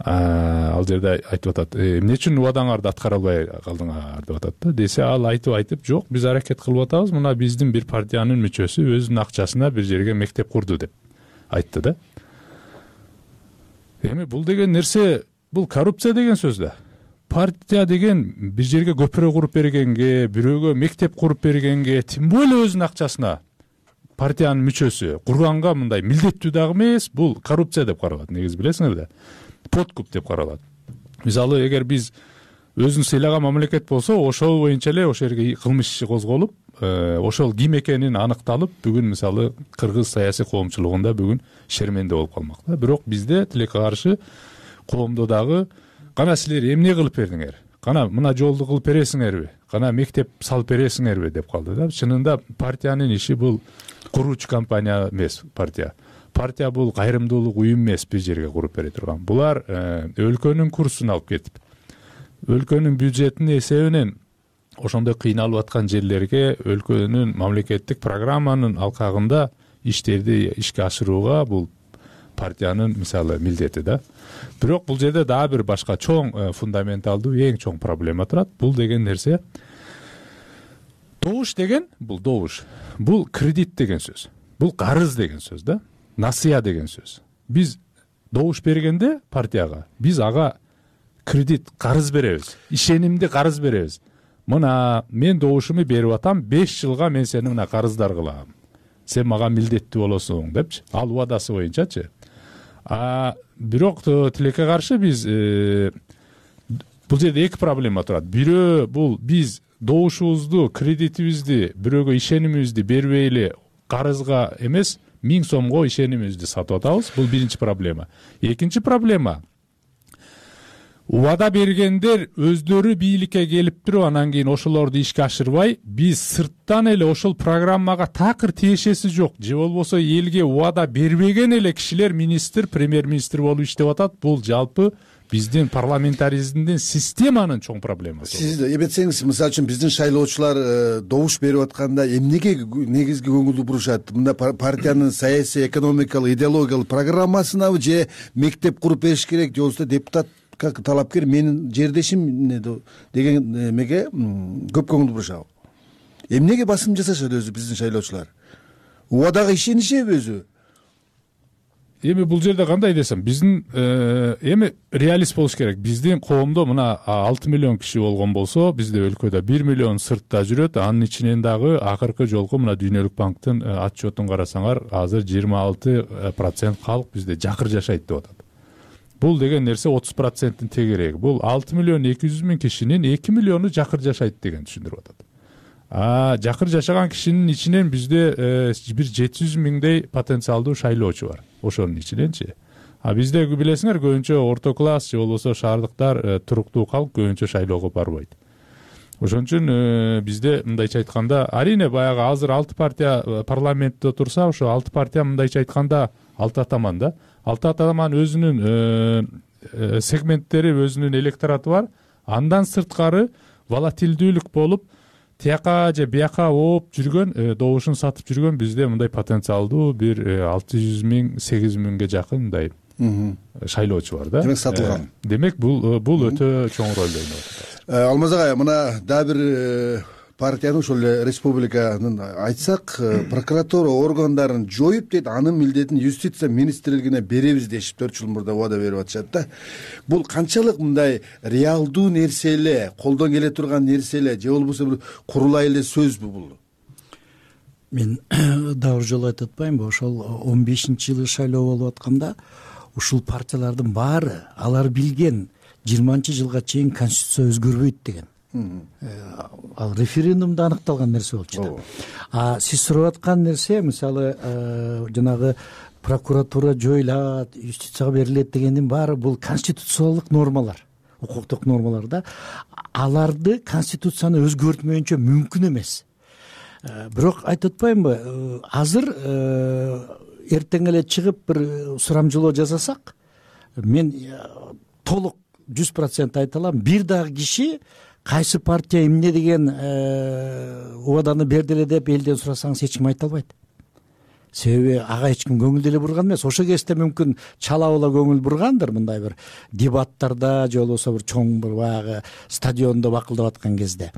Speaker 3: ал жерде айтып атат, эмне үчүн убадаңарды аткара албай калдыңар деп атат да. Десе ал айтып, жок, биз аракет кылып атабыз, мына биздин бир партиянын мүчөсү өзүнүн акчасына бир жерге мектеп курду деп айтты да. Эми бул деген нерсе, бул коррупция деген сөз да. Партия деген бир жерге көпүрө куруп бергенге, бирөөгө мектеп куруп бергенге, тем более өзүнүн акчасына партиянын мүчөсү курганга мындай милдеттүү дагы эмес, бул коррупция деп каралат. Негизи билесиңер да, подкуп деп каралат. Мисалы, эгер биз өзүн сыйлаган мамлекет болсо, ошол боюнча эле ошол жерге кылмыш иши козголуп, ошол ким экенин аныкталып, бүгүн мисалы кыргыз саясий коомчулугунда бүгүн шерменде болуп калмак да. Бирок бизде тилекке каршы коомдо дагы кана силер эмне кылып бердиңер, кана мына жолду кылып бересиңерби, кана мектеп салып бересиңерби деп калды да. Чынында партиянын иши бул куруучу компания эмес, партия бул кайрымдуулук уюм эмес, бир жерге куруп бере турган. Булар өлкөнүн курсун алып кетип, өлкөнүн бюджетинин эсебинен ошондой кыйналып аткан жерлерге өлкөнүн мамлекеттик программанын алкагында иштерди ишке ашырууга бул партиянын мисалы милдети да. Бирок бул жерде дагы бир башка чоң фундаменталдуу эң чоң проблема турат. Бул деген нерсе, добуш деген, бул кредит деген сөз, бул карыз деген сөз да, насыя деген сөз. Биз добуш бергенде партияга, биз ага кредит, карыз беребиз, ишенимди карыз беребиз. Мына мен добушумду берип атам, 5 жылга мен сени мына карыздар кылам, сен мага милдеттүү болосуң депчи, ал убадасы боюнчачы. Бирок тилекке каршы биз бул жерде эки проблема турат. Бирөө бул биз добушубузду, кредитибизди, бирөөгө ишенимибизди бербей эле карызга эмес, 1000 сомго ишенимибизди сатып атабыз. Бул биринчи проблема. Экинчи проблема, убада бергендер өздөрү бийликке келип туруп анан кийин ошолорду ишке ашырбай, биз сырттан эле ошол программага такыр тиешеси жок же болбосо элге убада бербеген эле кишилер министр, премьер-министр болуп иштеп атат. Бул жалпы биздин парламентаризмдин системанын чоң проблемасы.
Speaker 21: Сиз эметсеңиз, мисалы үчүн биздин шайлоочулар добуш берип атканда эмнеге негизги көңүл бурушат? Мында партиянын саясий, экономикалык, идеологиялык программасынабы же мектеп куруп бериш керек, же болбосо депутат как талапкер менин жердешим деген эмеге көп көңүл бурушабы? Эмнеге басым жасашат өзү биздин шайлоочулар? Убадага ишенишеби өзү?
Speaker 3: Эми бул жерде кандай десем, биздин эми реалист болуш керек. Биздин коомдо мына 6 миллион киши болгон болсо, бизде өлкөдө 1 миллион сыртта жүрөт. Анын ичинен дагы акыркы жолку мына Дүйнөлүк банктын отчетун карасаңар, азыр 26% калк бизде жакыр жашайт деп атат. Бул деген нерсе 30%-тин тегереги. Бул 6 миллион 200 миң кишинин 2 миллиону жакыр жашайт деген түшүндүрүп атат. Жакыр жашаган кишинин ичинен бизде бир 700 миңдей потенциалдуу шайлоочу бар. Ошонун ичиненчи. Бизде билесиңер, көбүнчө орто класс же болбосо шаардыктар туруктуу калк көбүнчө шайлоого барбайт. Ошон үчүн бизде мындайча айтканда, арине баягы азыр 6 партия парламентте турса, ошо 6 партия мындайча айтканда 6 атаман да. 6 атаман өзүнүн сегменттери, өзүнүн электораты бар. Андан сырткары волатилдүүлүк болуп, тияка же бияка ооп жүргөн, добушун сатып жүргөн бизде мындай потенциалдуу бир 600 миң, 800 миңге жакын мындай шайлоочу бар да.
Speaker 21: Демек сатылган.
Speaker 3: Демек бул өтө чоң роль ойноп атат.
Speaker 21: Алмаз агай, мына дагы бир партияны, ошол эле республиканын айтсак, прокуратура органдарын жоюп дейт, анын милдетин юстиция министрлигине беребиз дешип 4 жыл мурда убада берип атышат да. Бул канчалык мындай реалдуу нерсе эле, колдон келе турган нерсе эле, же болбосо бир курулай эле сөзбү бул?
Speaker 22: Мен дагы бир жолу айтып атпаймынбы, ошол 15-жылы шайлоо болуп атканда ушул партиялардын баары алар билген 20-жылга чейин конституция өзгөрбөйт деген. Ал референдумда аныкталган нерсе болчу да. Сиз сурап аткан нерсе, мисалы, жанагы прокуратура жоюлат, юстицияга берилет дегендин баары бул конституциялык нормалар, укуктук нормалар да. Аларды конституцияны өзгөртмөйүнчө мүмкүн эмес. Бирок айтып атпаймынбы, азыр эртең эле чыгып бир сурамжылоо жасасак, мен толук 100% айта алам, бир дагы киши кайсы партия эмне деген убаданы берди эле деп элден сурасаңыз эч ким айта албайт. Себеби ага эч ким көңүл деле бурган эмес. Ошо кезде мүмкүн чалабыла көңүл бургандыр, мындай бир дебаттарда же болбосо бир чоң бир баягы стадиондо бакылдап аткан кезде.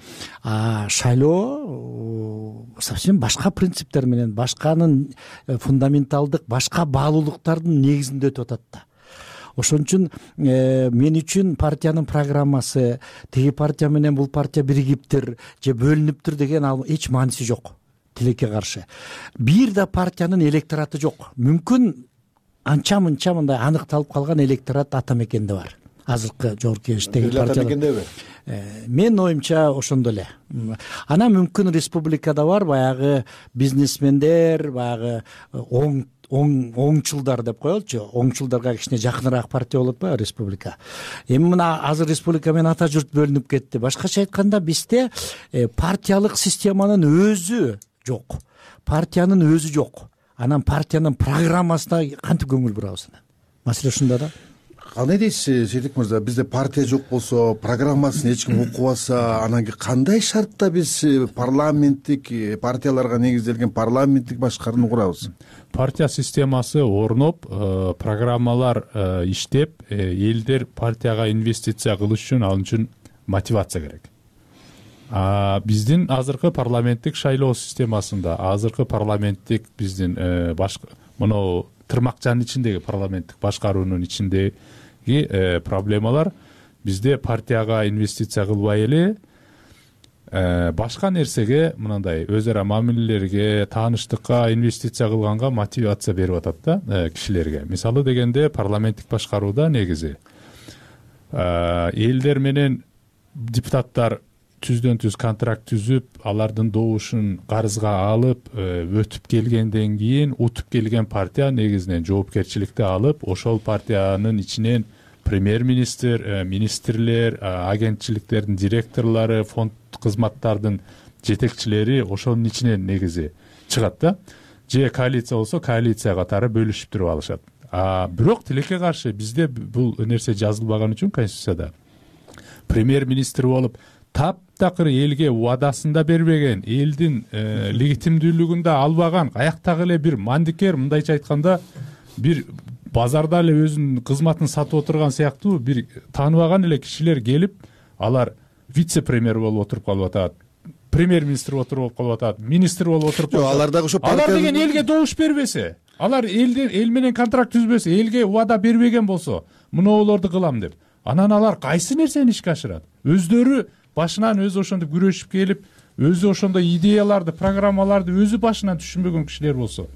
Speaker 22: Шайлоо совсем башка принциптер менен, башканын фундаменталдык, башка баалуулуктардын негизинде өтүп атат да. Ошон үчүн мен үчүн партиянын программасы, тиги партия менен бул партия биригиптир же бөлүнүптүр деген ал эч мааниси жок. Тилекке каршы. Бир да партиянын электораты жок. Мүмкүн анча-мынча мындай аныкталып калган электорат ата мекенде бар. Азыркы жогорку кеңештеги партиялар. Мен оюмча ошондо эле. Анан мүмкүн республикада бар баягы бизнесмендер, баягы оңчулдар деп коелучу. Оңчулдарга кичине жакыныраак партия болот ба республика. Эми мына азыр республика менен ата журт бөлүнүп кетти. Башкача айтканда бизде партиялык системанын өзү жок. Партиянын өзү жок. Анан партиянын программасына кантип көңүл бурабыз? Маселе ушунда да.
Speaker 21: Кандай дейсиз, Сейдик мырза, бизде партия жок болсо, программасын эч ким окубаса, анан кандай шартта биз парламенттик партияларга негизделген парламенттик башкарууну курабыз?
Speaker 3: Партия системасы орноп, программалар иштеп, элдер партияга инвестиция кылыш үчүн ал үчүн мотивация керек. Биздин азыркы парламенттик шайлоо системасында, азыркы парламенттик биздин мына тырмакчанын ичиндеги парламенттик башкаруунун ичиндеги проблемалар бизде партияга инвестиция кылбай эле башка нерсеге, мындай өз ара мамилелерге, тааныштыкка инвестиция кылганга мотивация берип атат да кишилерге. Мисалы дегенде парламенттик башкарууда негизи элдер менен депутаттар түздөн түз контракт түзүп, алардын добушун карызга алып, өтүп келгенден кийин утуп келген партия негизинен жоопкерчиликти алып, ошол партиянын ичинен премьер министр, министрлер, агентчиликтердин директорлору, фонд кызматтардын жетекчилери ошонун ичинен негизи чыгат да. Же коалиция болсо коалиция катары бөлүшүп туруп алышат. Бирок тилекке каршы бизде бул нерсе жазылбаган үчүн конституцияда премьер министр болуп таптакыр элге убадасын да бербеген, элдин легитимдүүлүгүн да албаган, каяктагы эле бир мандикер, мындайча айтканда бир базарда эле өзүнүн кызматын сатып отурган сыяктуу бир тааныбаган эле кишилер келип, алар вице премьер болуп отуруп калып атат, премьер министр отуруп калып атат, министр болуп отуруп калып атат.
Speaker 21: Алар дагы ошо
Speaker 3: алар деген элге добуш бербесе, алар эл менен контракт түзбөсө, элге убада бербеген болсо, мунулорду кылам деп, анан алар кайсы нерсени ишке ашырат? Өздөрү башынан өзү ошондой күрөшүп келип, өзү ошондой идеяларды, программаларды өзү башынан түшүнбөгөн кишилер болсо,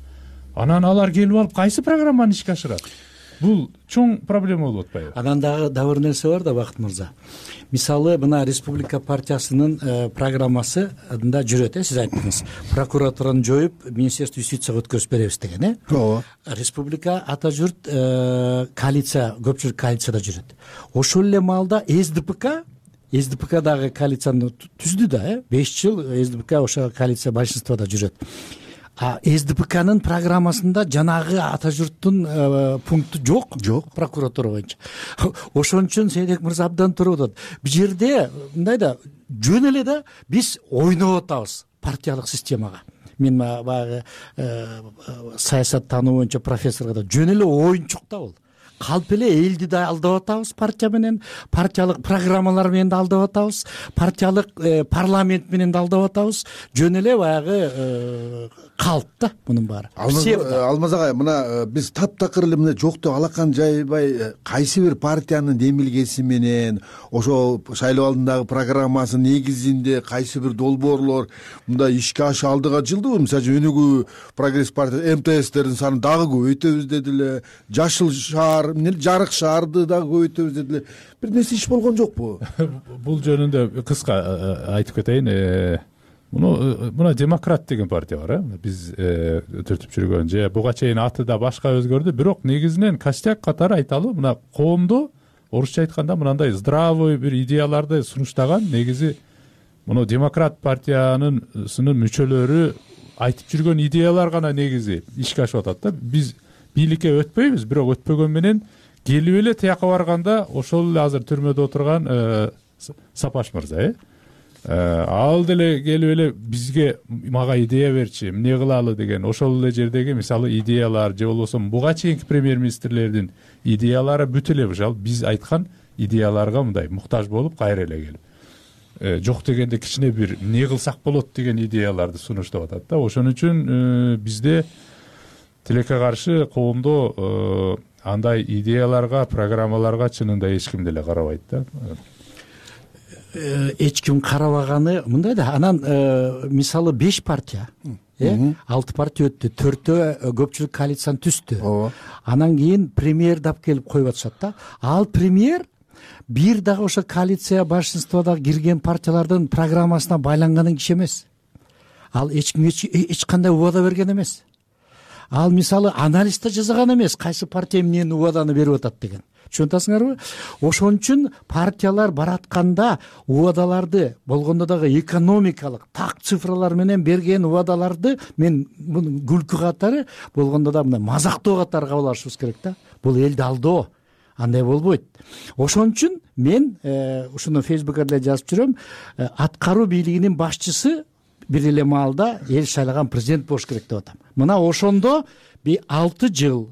Speaker 3: анан алар келип алып кайсы программаны ишке ашырат? Бул чоң проблема болуп атпайбы?
Speaker 22: Анан дагы бир нерсе бар да, Бакыт мырза. Мисалы, мына Республика партиясынын программасында жүрөт, сиз айттыңыз. Прокуратураны жоюп, Министерство юстицияга өткөрүп беребиз деген,
Speaker 21: Ооба.
Speaker 22: Республика ата журт коалиция, көпчүлүк коалицияда жүрөт. Ошол эле маалда СДПК дагы коалицияны түздү да, 5 жыл СДПК ошо коалиция большинствода жүрөт. СДПКнын программасында жанагы ата журттун пункту жок прокуратура боюнча. Ошон үчүн Сейдек мырза абдан туура атат. Бул жерде мындай да, жөн эле да биз ойноп атабыз партиялык системага. Мен баягы саясат таануу боюнча профессорго да жөн эле оюнчук да бул. Калп эле элди да алдап атабыз партия менен, партиялык программалар менен да алдап атабыз, партиялык парламент менен да алдап атабыз. Жөн эле баягы калп да мунун баары.
Speaker 21: Алмаз агай, мына биз таптакыр эле мына жокту алакан жайбай кайсы бир партиянын демилгеси менен, ошол шайлоо алдындагы программасынын негизинде кайсы бир долбоорлор мындай ишке аша алдыга жылдыбы? Мисалы өнүгүү прогресс партия МТСтердин санын дагы көбөйтөбүз дедиле, жашыл шаар, жарык шаарды дагы көбөйтөбүз дедиле. Бир нерсе иш болгон жокпу?
Speaker 3: Бул жөнүндө кыска айтып кетейин. Мына демократ деген партия бар, биз түртүп жүргөн, же буга чейин аты да башка өзгөрдү, бирок негизинен костяк катары айталы, мына коомду орусча айтканда мындай здравый бир идеяларды сунуштаган негизи муну демократ партиянын мүчөлөрү айтып жүргөн идеялар гана негизи ишке ашып атат да. Биз бийликке өтпөйбүз, бирок өтпөгөн менен келип эле тияка барганда ошол эле азыр түрмөдө отурган Сапаш мырза, ал деле келип эле бизге мага идея берчи, эмне кылалы деген ошол эле жердеги мисалы идеялар же болбосо буга чейинки премьер министрлердин идеялары бүт эле ошол биз айткан идеяларга мындай муктаж болуп кайра эле келип жок дегенде кичине бир эмне кылсак болот деген идеяларды сунуштап атат да. Ошон үчүн бизде тилекке каршы коомдо андай идеяларга, программаларга чынында эч ким деле карабайт да.
Speaker 22: Эч ким карабаганы мындай да. Анан мисалы 5 партия, 6 партия өттү, 4төө көпчүлүк коалицияны түздү. Анан кийин премьер дап келип коюп атышат да. Ал премьер бир дагы ошо коалиция большинствода кирген партиялардын программасына байланган киши эмес. Ал эч кимге эч кандай убада берген эмес. Ал мисалы анализ да жасаган эмес, кайсы партия эмнени убаданы берип атат деген. Түшүнүп атасыңарбы? Ошон үчүн партиялар баратканда убадаларды болгондо дагы экономикалык так цифралар менен берген убадаларды мен муну күлкү катары болгондо да мындай мазактоо катары кабыл алышыбыз керек да. Бул элди алдоо. Андай болбойт. Ошон үчүн мен ушуну Фейсбукка деле жазып жүрөм. Аткаруу бийлигинин башчысы бир эле маалда эл шайлаган президент болуш керек деп атам. Мына ошондо 6 жыл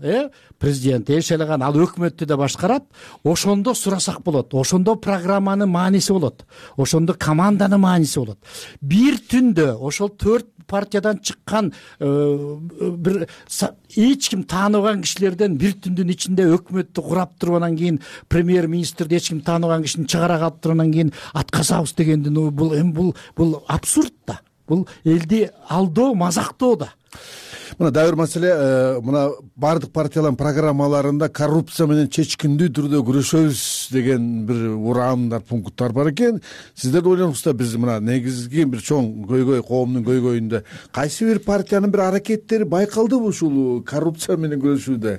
Speaker 22: президент эл шайлаган, ал өкмөттү да башкарат. Ошондо сурасак болот. Ошондо программанын мааниси болот. Ошондо команданын мааниси болот. Бир түндө ошол 4 партиядан чыккан бир эч ким тааныбаган кишилерден бир түндүн ичинде өкмөттү курап туруп анан кийин премьер министрди эч ким тааныбаган кишини чыгара калып туруп анан кийин атказабыз дегендин бул абсурд да. Бул элди алдоо, мазактоо да.
Speaker 21: Мына дагы бир маселе, мына бардык партиялардын программаларында коррупция менен чечкиндүү түрдө күрөшөбүз деген бир ураандар, пункттар бар экен. Сиздер да ойлоносуздар, биз мына негизги бир чоң көйгөй, коомдун көйгөйүндө кайсы бир партиянын бир аракеттери байкалдыбы ушул коррупция менен күрөшүүдө?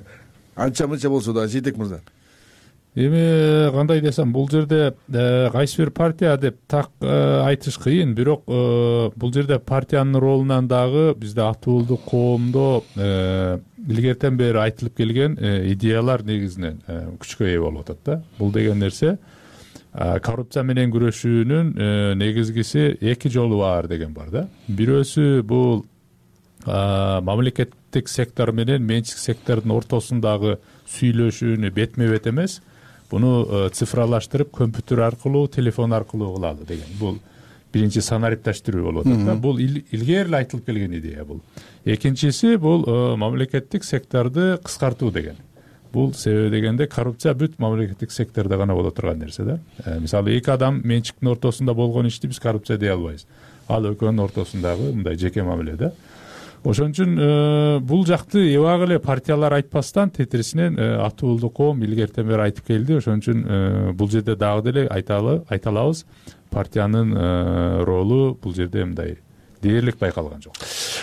Speaker 21: Анча мынча болсо да, Сейтек мырза.
Speaker 3: эми кандай десем, бул жерде кайсы бир партия деп так айтыш кыйын, бирок бул жерде партиянын ролунан дагы бизде аты уулдук коомдо илгертен бери айтылып келген идеялар негизинен күчкө ээ болуп атат да. Бул деген нерсе коррупция менен күрөшүүнүн негизгиси эки жолу бар деген бар да. Бирөөсү бул мамлекеттик сектор менен менчик сектордун ортосундагы сүйлөшүүнү бетме бет эмес, буну цифралаштырып компьютер аркылуу, телефон аркылуу кылалы деген. Бул биринчи санарипташтыруу болуп атат да. Бул илгери эле айтылып келген идея бул. Экинчиси бул мамлекеттик секторду кыскартуу деген. Бул себеби дегенде коррупция бүт мамлекеттик сектордо гана боло турган нерсе да. Мисалы эки адам менчиктин ортосунда болгон ишти биз коррупция дей албайбыз. Ал экөөнүн ортосундагы мындай жеке мамиле да. Ошон үчүн бул жакты эбак эле партиялар айтпастан тетирисинен аты уулдук коом илгертен бери айтып келди. Ошон үчүн бул жерде дагы деле айта алабыз, партиянын ролу бул жерде мындай дээрлик байкалган жок.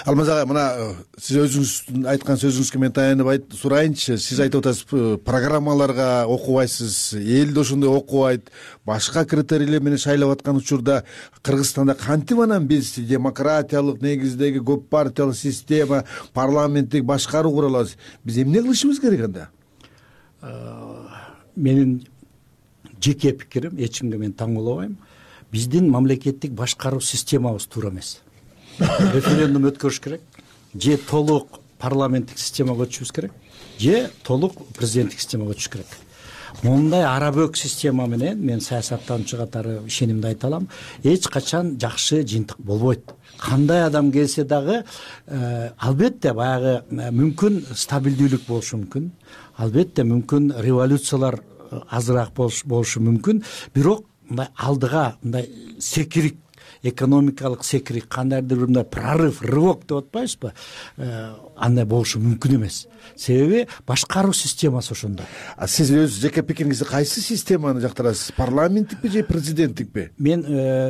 Speaker 21: Алмаз агай, мына сиз өзүңүз айткан сөзүңүзгө мен таянып сурайынчы. Сиз айтып атасыз, программаларга окубайсыз, эл да ошондой окубайт, башка критерийлер менен шайлап аткан учурда Кыргызстанда кантип анан биз демократиялык негиздеги көп партиялык система, парламенттик башкаруу кура алабыз? Биз эмне кылышыбыз керек анда?
Speaker 22: Менин жеке пикирим, эч кимге мен таң болбойм. Биздин мамлекеттик башкаруу системабыз туура эмес. Референдум өткөрүш керек, же толук парламенттик системага өтүшүбүз керек, же толук президенттик системага өтүш керек. Мондай арабөк система менен мен саясаттануучу катары ишенимди айта алам, эч качан жакшы жыйынтык болбойт. Кандай адам келсе дагы албетте баягы мүмкүн стабилдүүлүк болушу мүмкүн, албетте мүмкүн революциялар азыраак болушу мүмкүн, бирок мындай алдыга мындай секирик, экономикалык секирик, кандайдыр бир мындай прорыв, рывок деп атпайбызбы, андай болушу мүмкүн эмес. Себеби башкаруу системасы ошондой.
Speaker 21: Сиз өз жеке пикириңизде кайсы системаны жактырасыз? Парламенттикпи же президенттикпи?
Speaker 22: Мен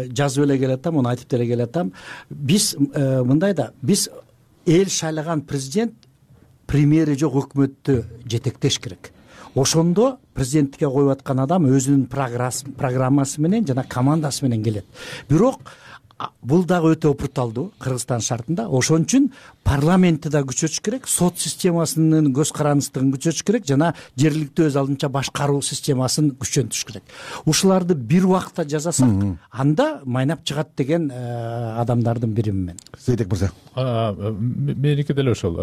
Speaker 22: жазып эле келатам, муну айтып деле келатам. Биз мындай да, биз эл шайлаган президент премьери жок өкмөттү жетектеш керек. Ошондо президенттикке коюп аткан адам өзүнүн программасы менен жана командасы менен келет. Бирок бул дагы өтө опурталдуу Кыргызстан шартында. Ошон үчүн парламентти да күчөтүш керек, сот системасынын көз карандысыздыгын күчөтүш керек жана жергиликтүү өз алдынча башкаруу системасын күчөтүш керек. Ушуларды бир убакта жасасак, анда майнап чыгат деген адамдардын биримин мен.
Speaker 21: Зейдек мырза.
Speaker 3: Меники деле ошол.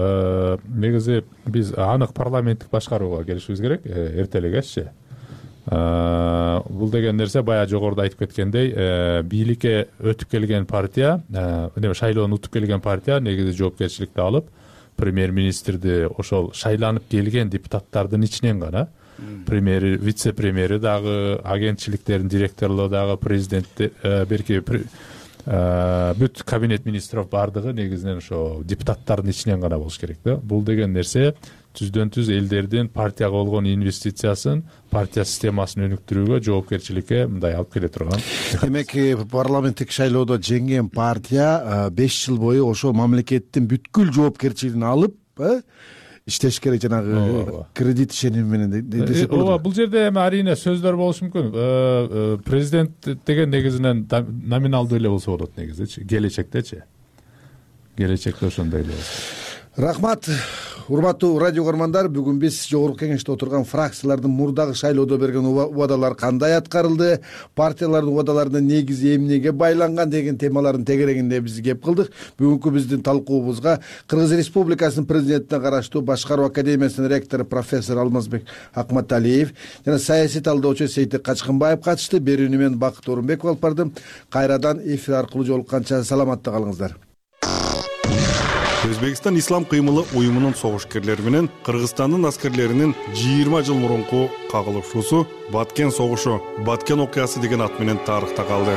Speaker 3: Негизи биз анык парламенттик башкарууга келишибиз керек, эрте эле кеччи. Бул деген нерсе баягы жогоруда айтып кеткендей, бийликке өтүп келген партия, шайлоону утуп келген партия негизи жоопкерчиликти алып, премьер-министрди ошол шайланып келген депутаттардын ичинен гана, премьери, вице-премьери дагы, агентчиликтердин директорлору дагы, президент берки бүт кабинет министров бардыгы негизинен ошо депутаттардын ичинен гана болуш керек да. Бул деген нерсе түздөн түз элдердин партияга болгон инвестициясын, партия системасын өнүктүрүүгө, жоопкерчиликке мындай алып келе турган.
Speaker 21: Демек, парламенттик шайлоодо жеңген партия 5 жыл бою ошол мамлекеттин бүткүл жоопкерчилигин алып, иштеш керек, жанагы кредит ишеними менен десе болот.
Speaker 3: Ооба, бул жерде эми арийне сөздөр болушу мүмкүн. Президент деген негизинен номиналдуу эле болсо болот негизи, келечектечи. Келечекте ошондой эле.
Speaker 21: Рахмат. Урматтуу радио көрөрмандар, бүгүн биз жогорку кеңеште отурган фракциялардын мурдагы шайлоодо берген убадалары кандай аткарылды, партиялардын убадаларынын негизи эмнеге байланган деген темалардын тегерегинде биз кеп кылдык. Бүгүнкү биздин талкуубузга Кыргыз Республикасынын президентине караштуу Башкаруу академиясынын ректору профессор Алмазбек Акматалиев жана саясий талдоочу Сейтек Качкынбаев катышты. Берүүнү мен Бакыт Орунбеков алып бардым. Кайрадан эфир аркылуу жолукканча саламатта калыңыздар. Өзбекстан Ислам кыймылы уюмунун согушкерлери менен Кыргызстандын аскерлеринин 20 жыл мурунку кагылышуусу Баткен согушу, Баткен окуясы деген ат менен тарыхта калды.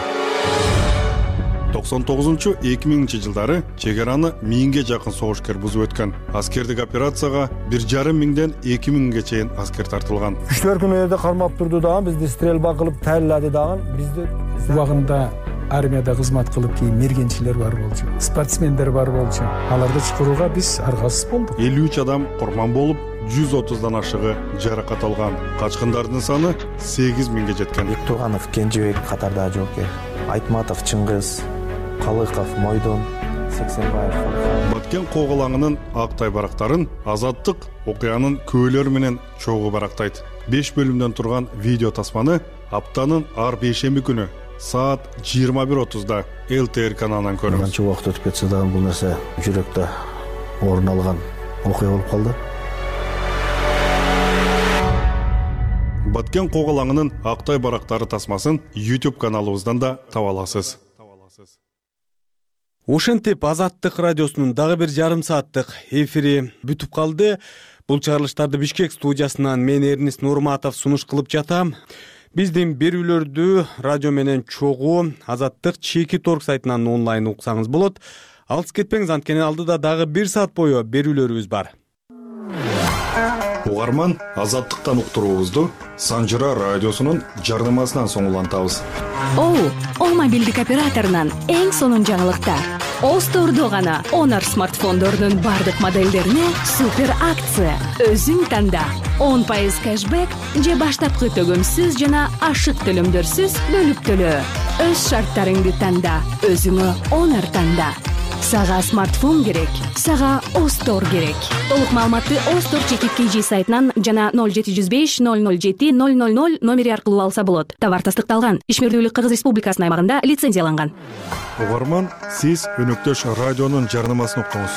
Speaker 21: 99-2000 жылдары чек араны 1000ге жакын согушкер бузуп өткөн. Аскердик операцияга 1,5 миңден 2000ге чейин аскер тартылган.
Speaker 4: Күчтөр күнү жерде кармап турду дагы, бизди стрельба кылып тайылады дагы. Бизди убагында армияда кызмат кылып кийин мергенчилер бар болчу, спортсмендер бар болчу. Аларды чакырууга биз аргасыз болдук.
Speaker 21: 53 адам курман болуп,
Speaker 2: 130дан ашыгы жаракат алган. Качкындардын саны 8000ге жеткен.
Speaker 5: Бектурганов Кенжебек катарда жооптор. Айтматов Чыңгыз, Калыков Мойдон, Сексенбаев.
Speaker 2: Баткен Коголаңынын актай барактарын Азаттык окуянын көөлөрү менен чогуу барактайт. 5 бөлүмдөн турган видео тасманы аптанын ар бейшемби күнү саат 21:30да ЛТР каналынан көрүңүз.
Speaker 5: Канча убакыт өтүп кетсе дагы бул нерсе жүрөктө орун алган окуя болуп калды.
Speaker 2: Баткен Коголаңынын актай барактары тасмасын YouTube каналыбыздан да таба аласыз. Ошентип Азаттык радиосунун дагы бир жарым сааттык эфири бүтүп калды. Бул чыгарылыштарды Бишкек студиясынан мен Эрнис Нурматов сунуш кылып жатам. Биздин берүүлөрдү радио менен чогуу Азаттык Чеки.org сайтынан онлайн уксаңыз болот. Алыс кетпеңиз, анткени алдыда дагы 1 саат бою берүүлөрүбүз бар. Угарман, Азаттыктан уктуруубузду Санжыра радиосунун жарнамасынан соң улантабыз.
Speaker 9: О мобилдик операторунан эң сонун жаңылыктар. Остордо гана Honor смартфондорунун бардык моделдерине супер акция. Өзүң танда 10% кэшбэк же баштапкы төгөмсүз жана ашык төлөмдөрсүз бөлүп төлөө. Өз шарттарыңды танда, өзүңө Honor танда. Сага смартфон керек, сага Остор керек. Толук маалыматты Остор Чеки.kg сайтынан жана 0705 007 000 номери аркылуу алса болот. Товар тастыкталган. Ишмердүүлүк Кыргыз Республикасынын аймагында лицензияланган.
Speaker 2: Угарман, сиз өнөктөш радионун жарнамасын уктуңуз.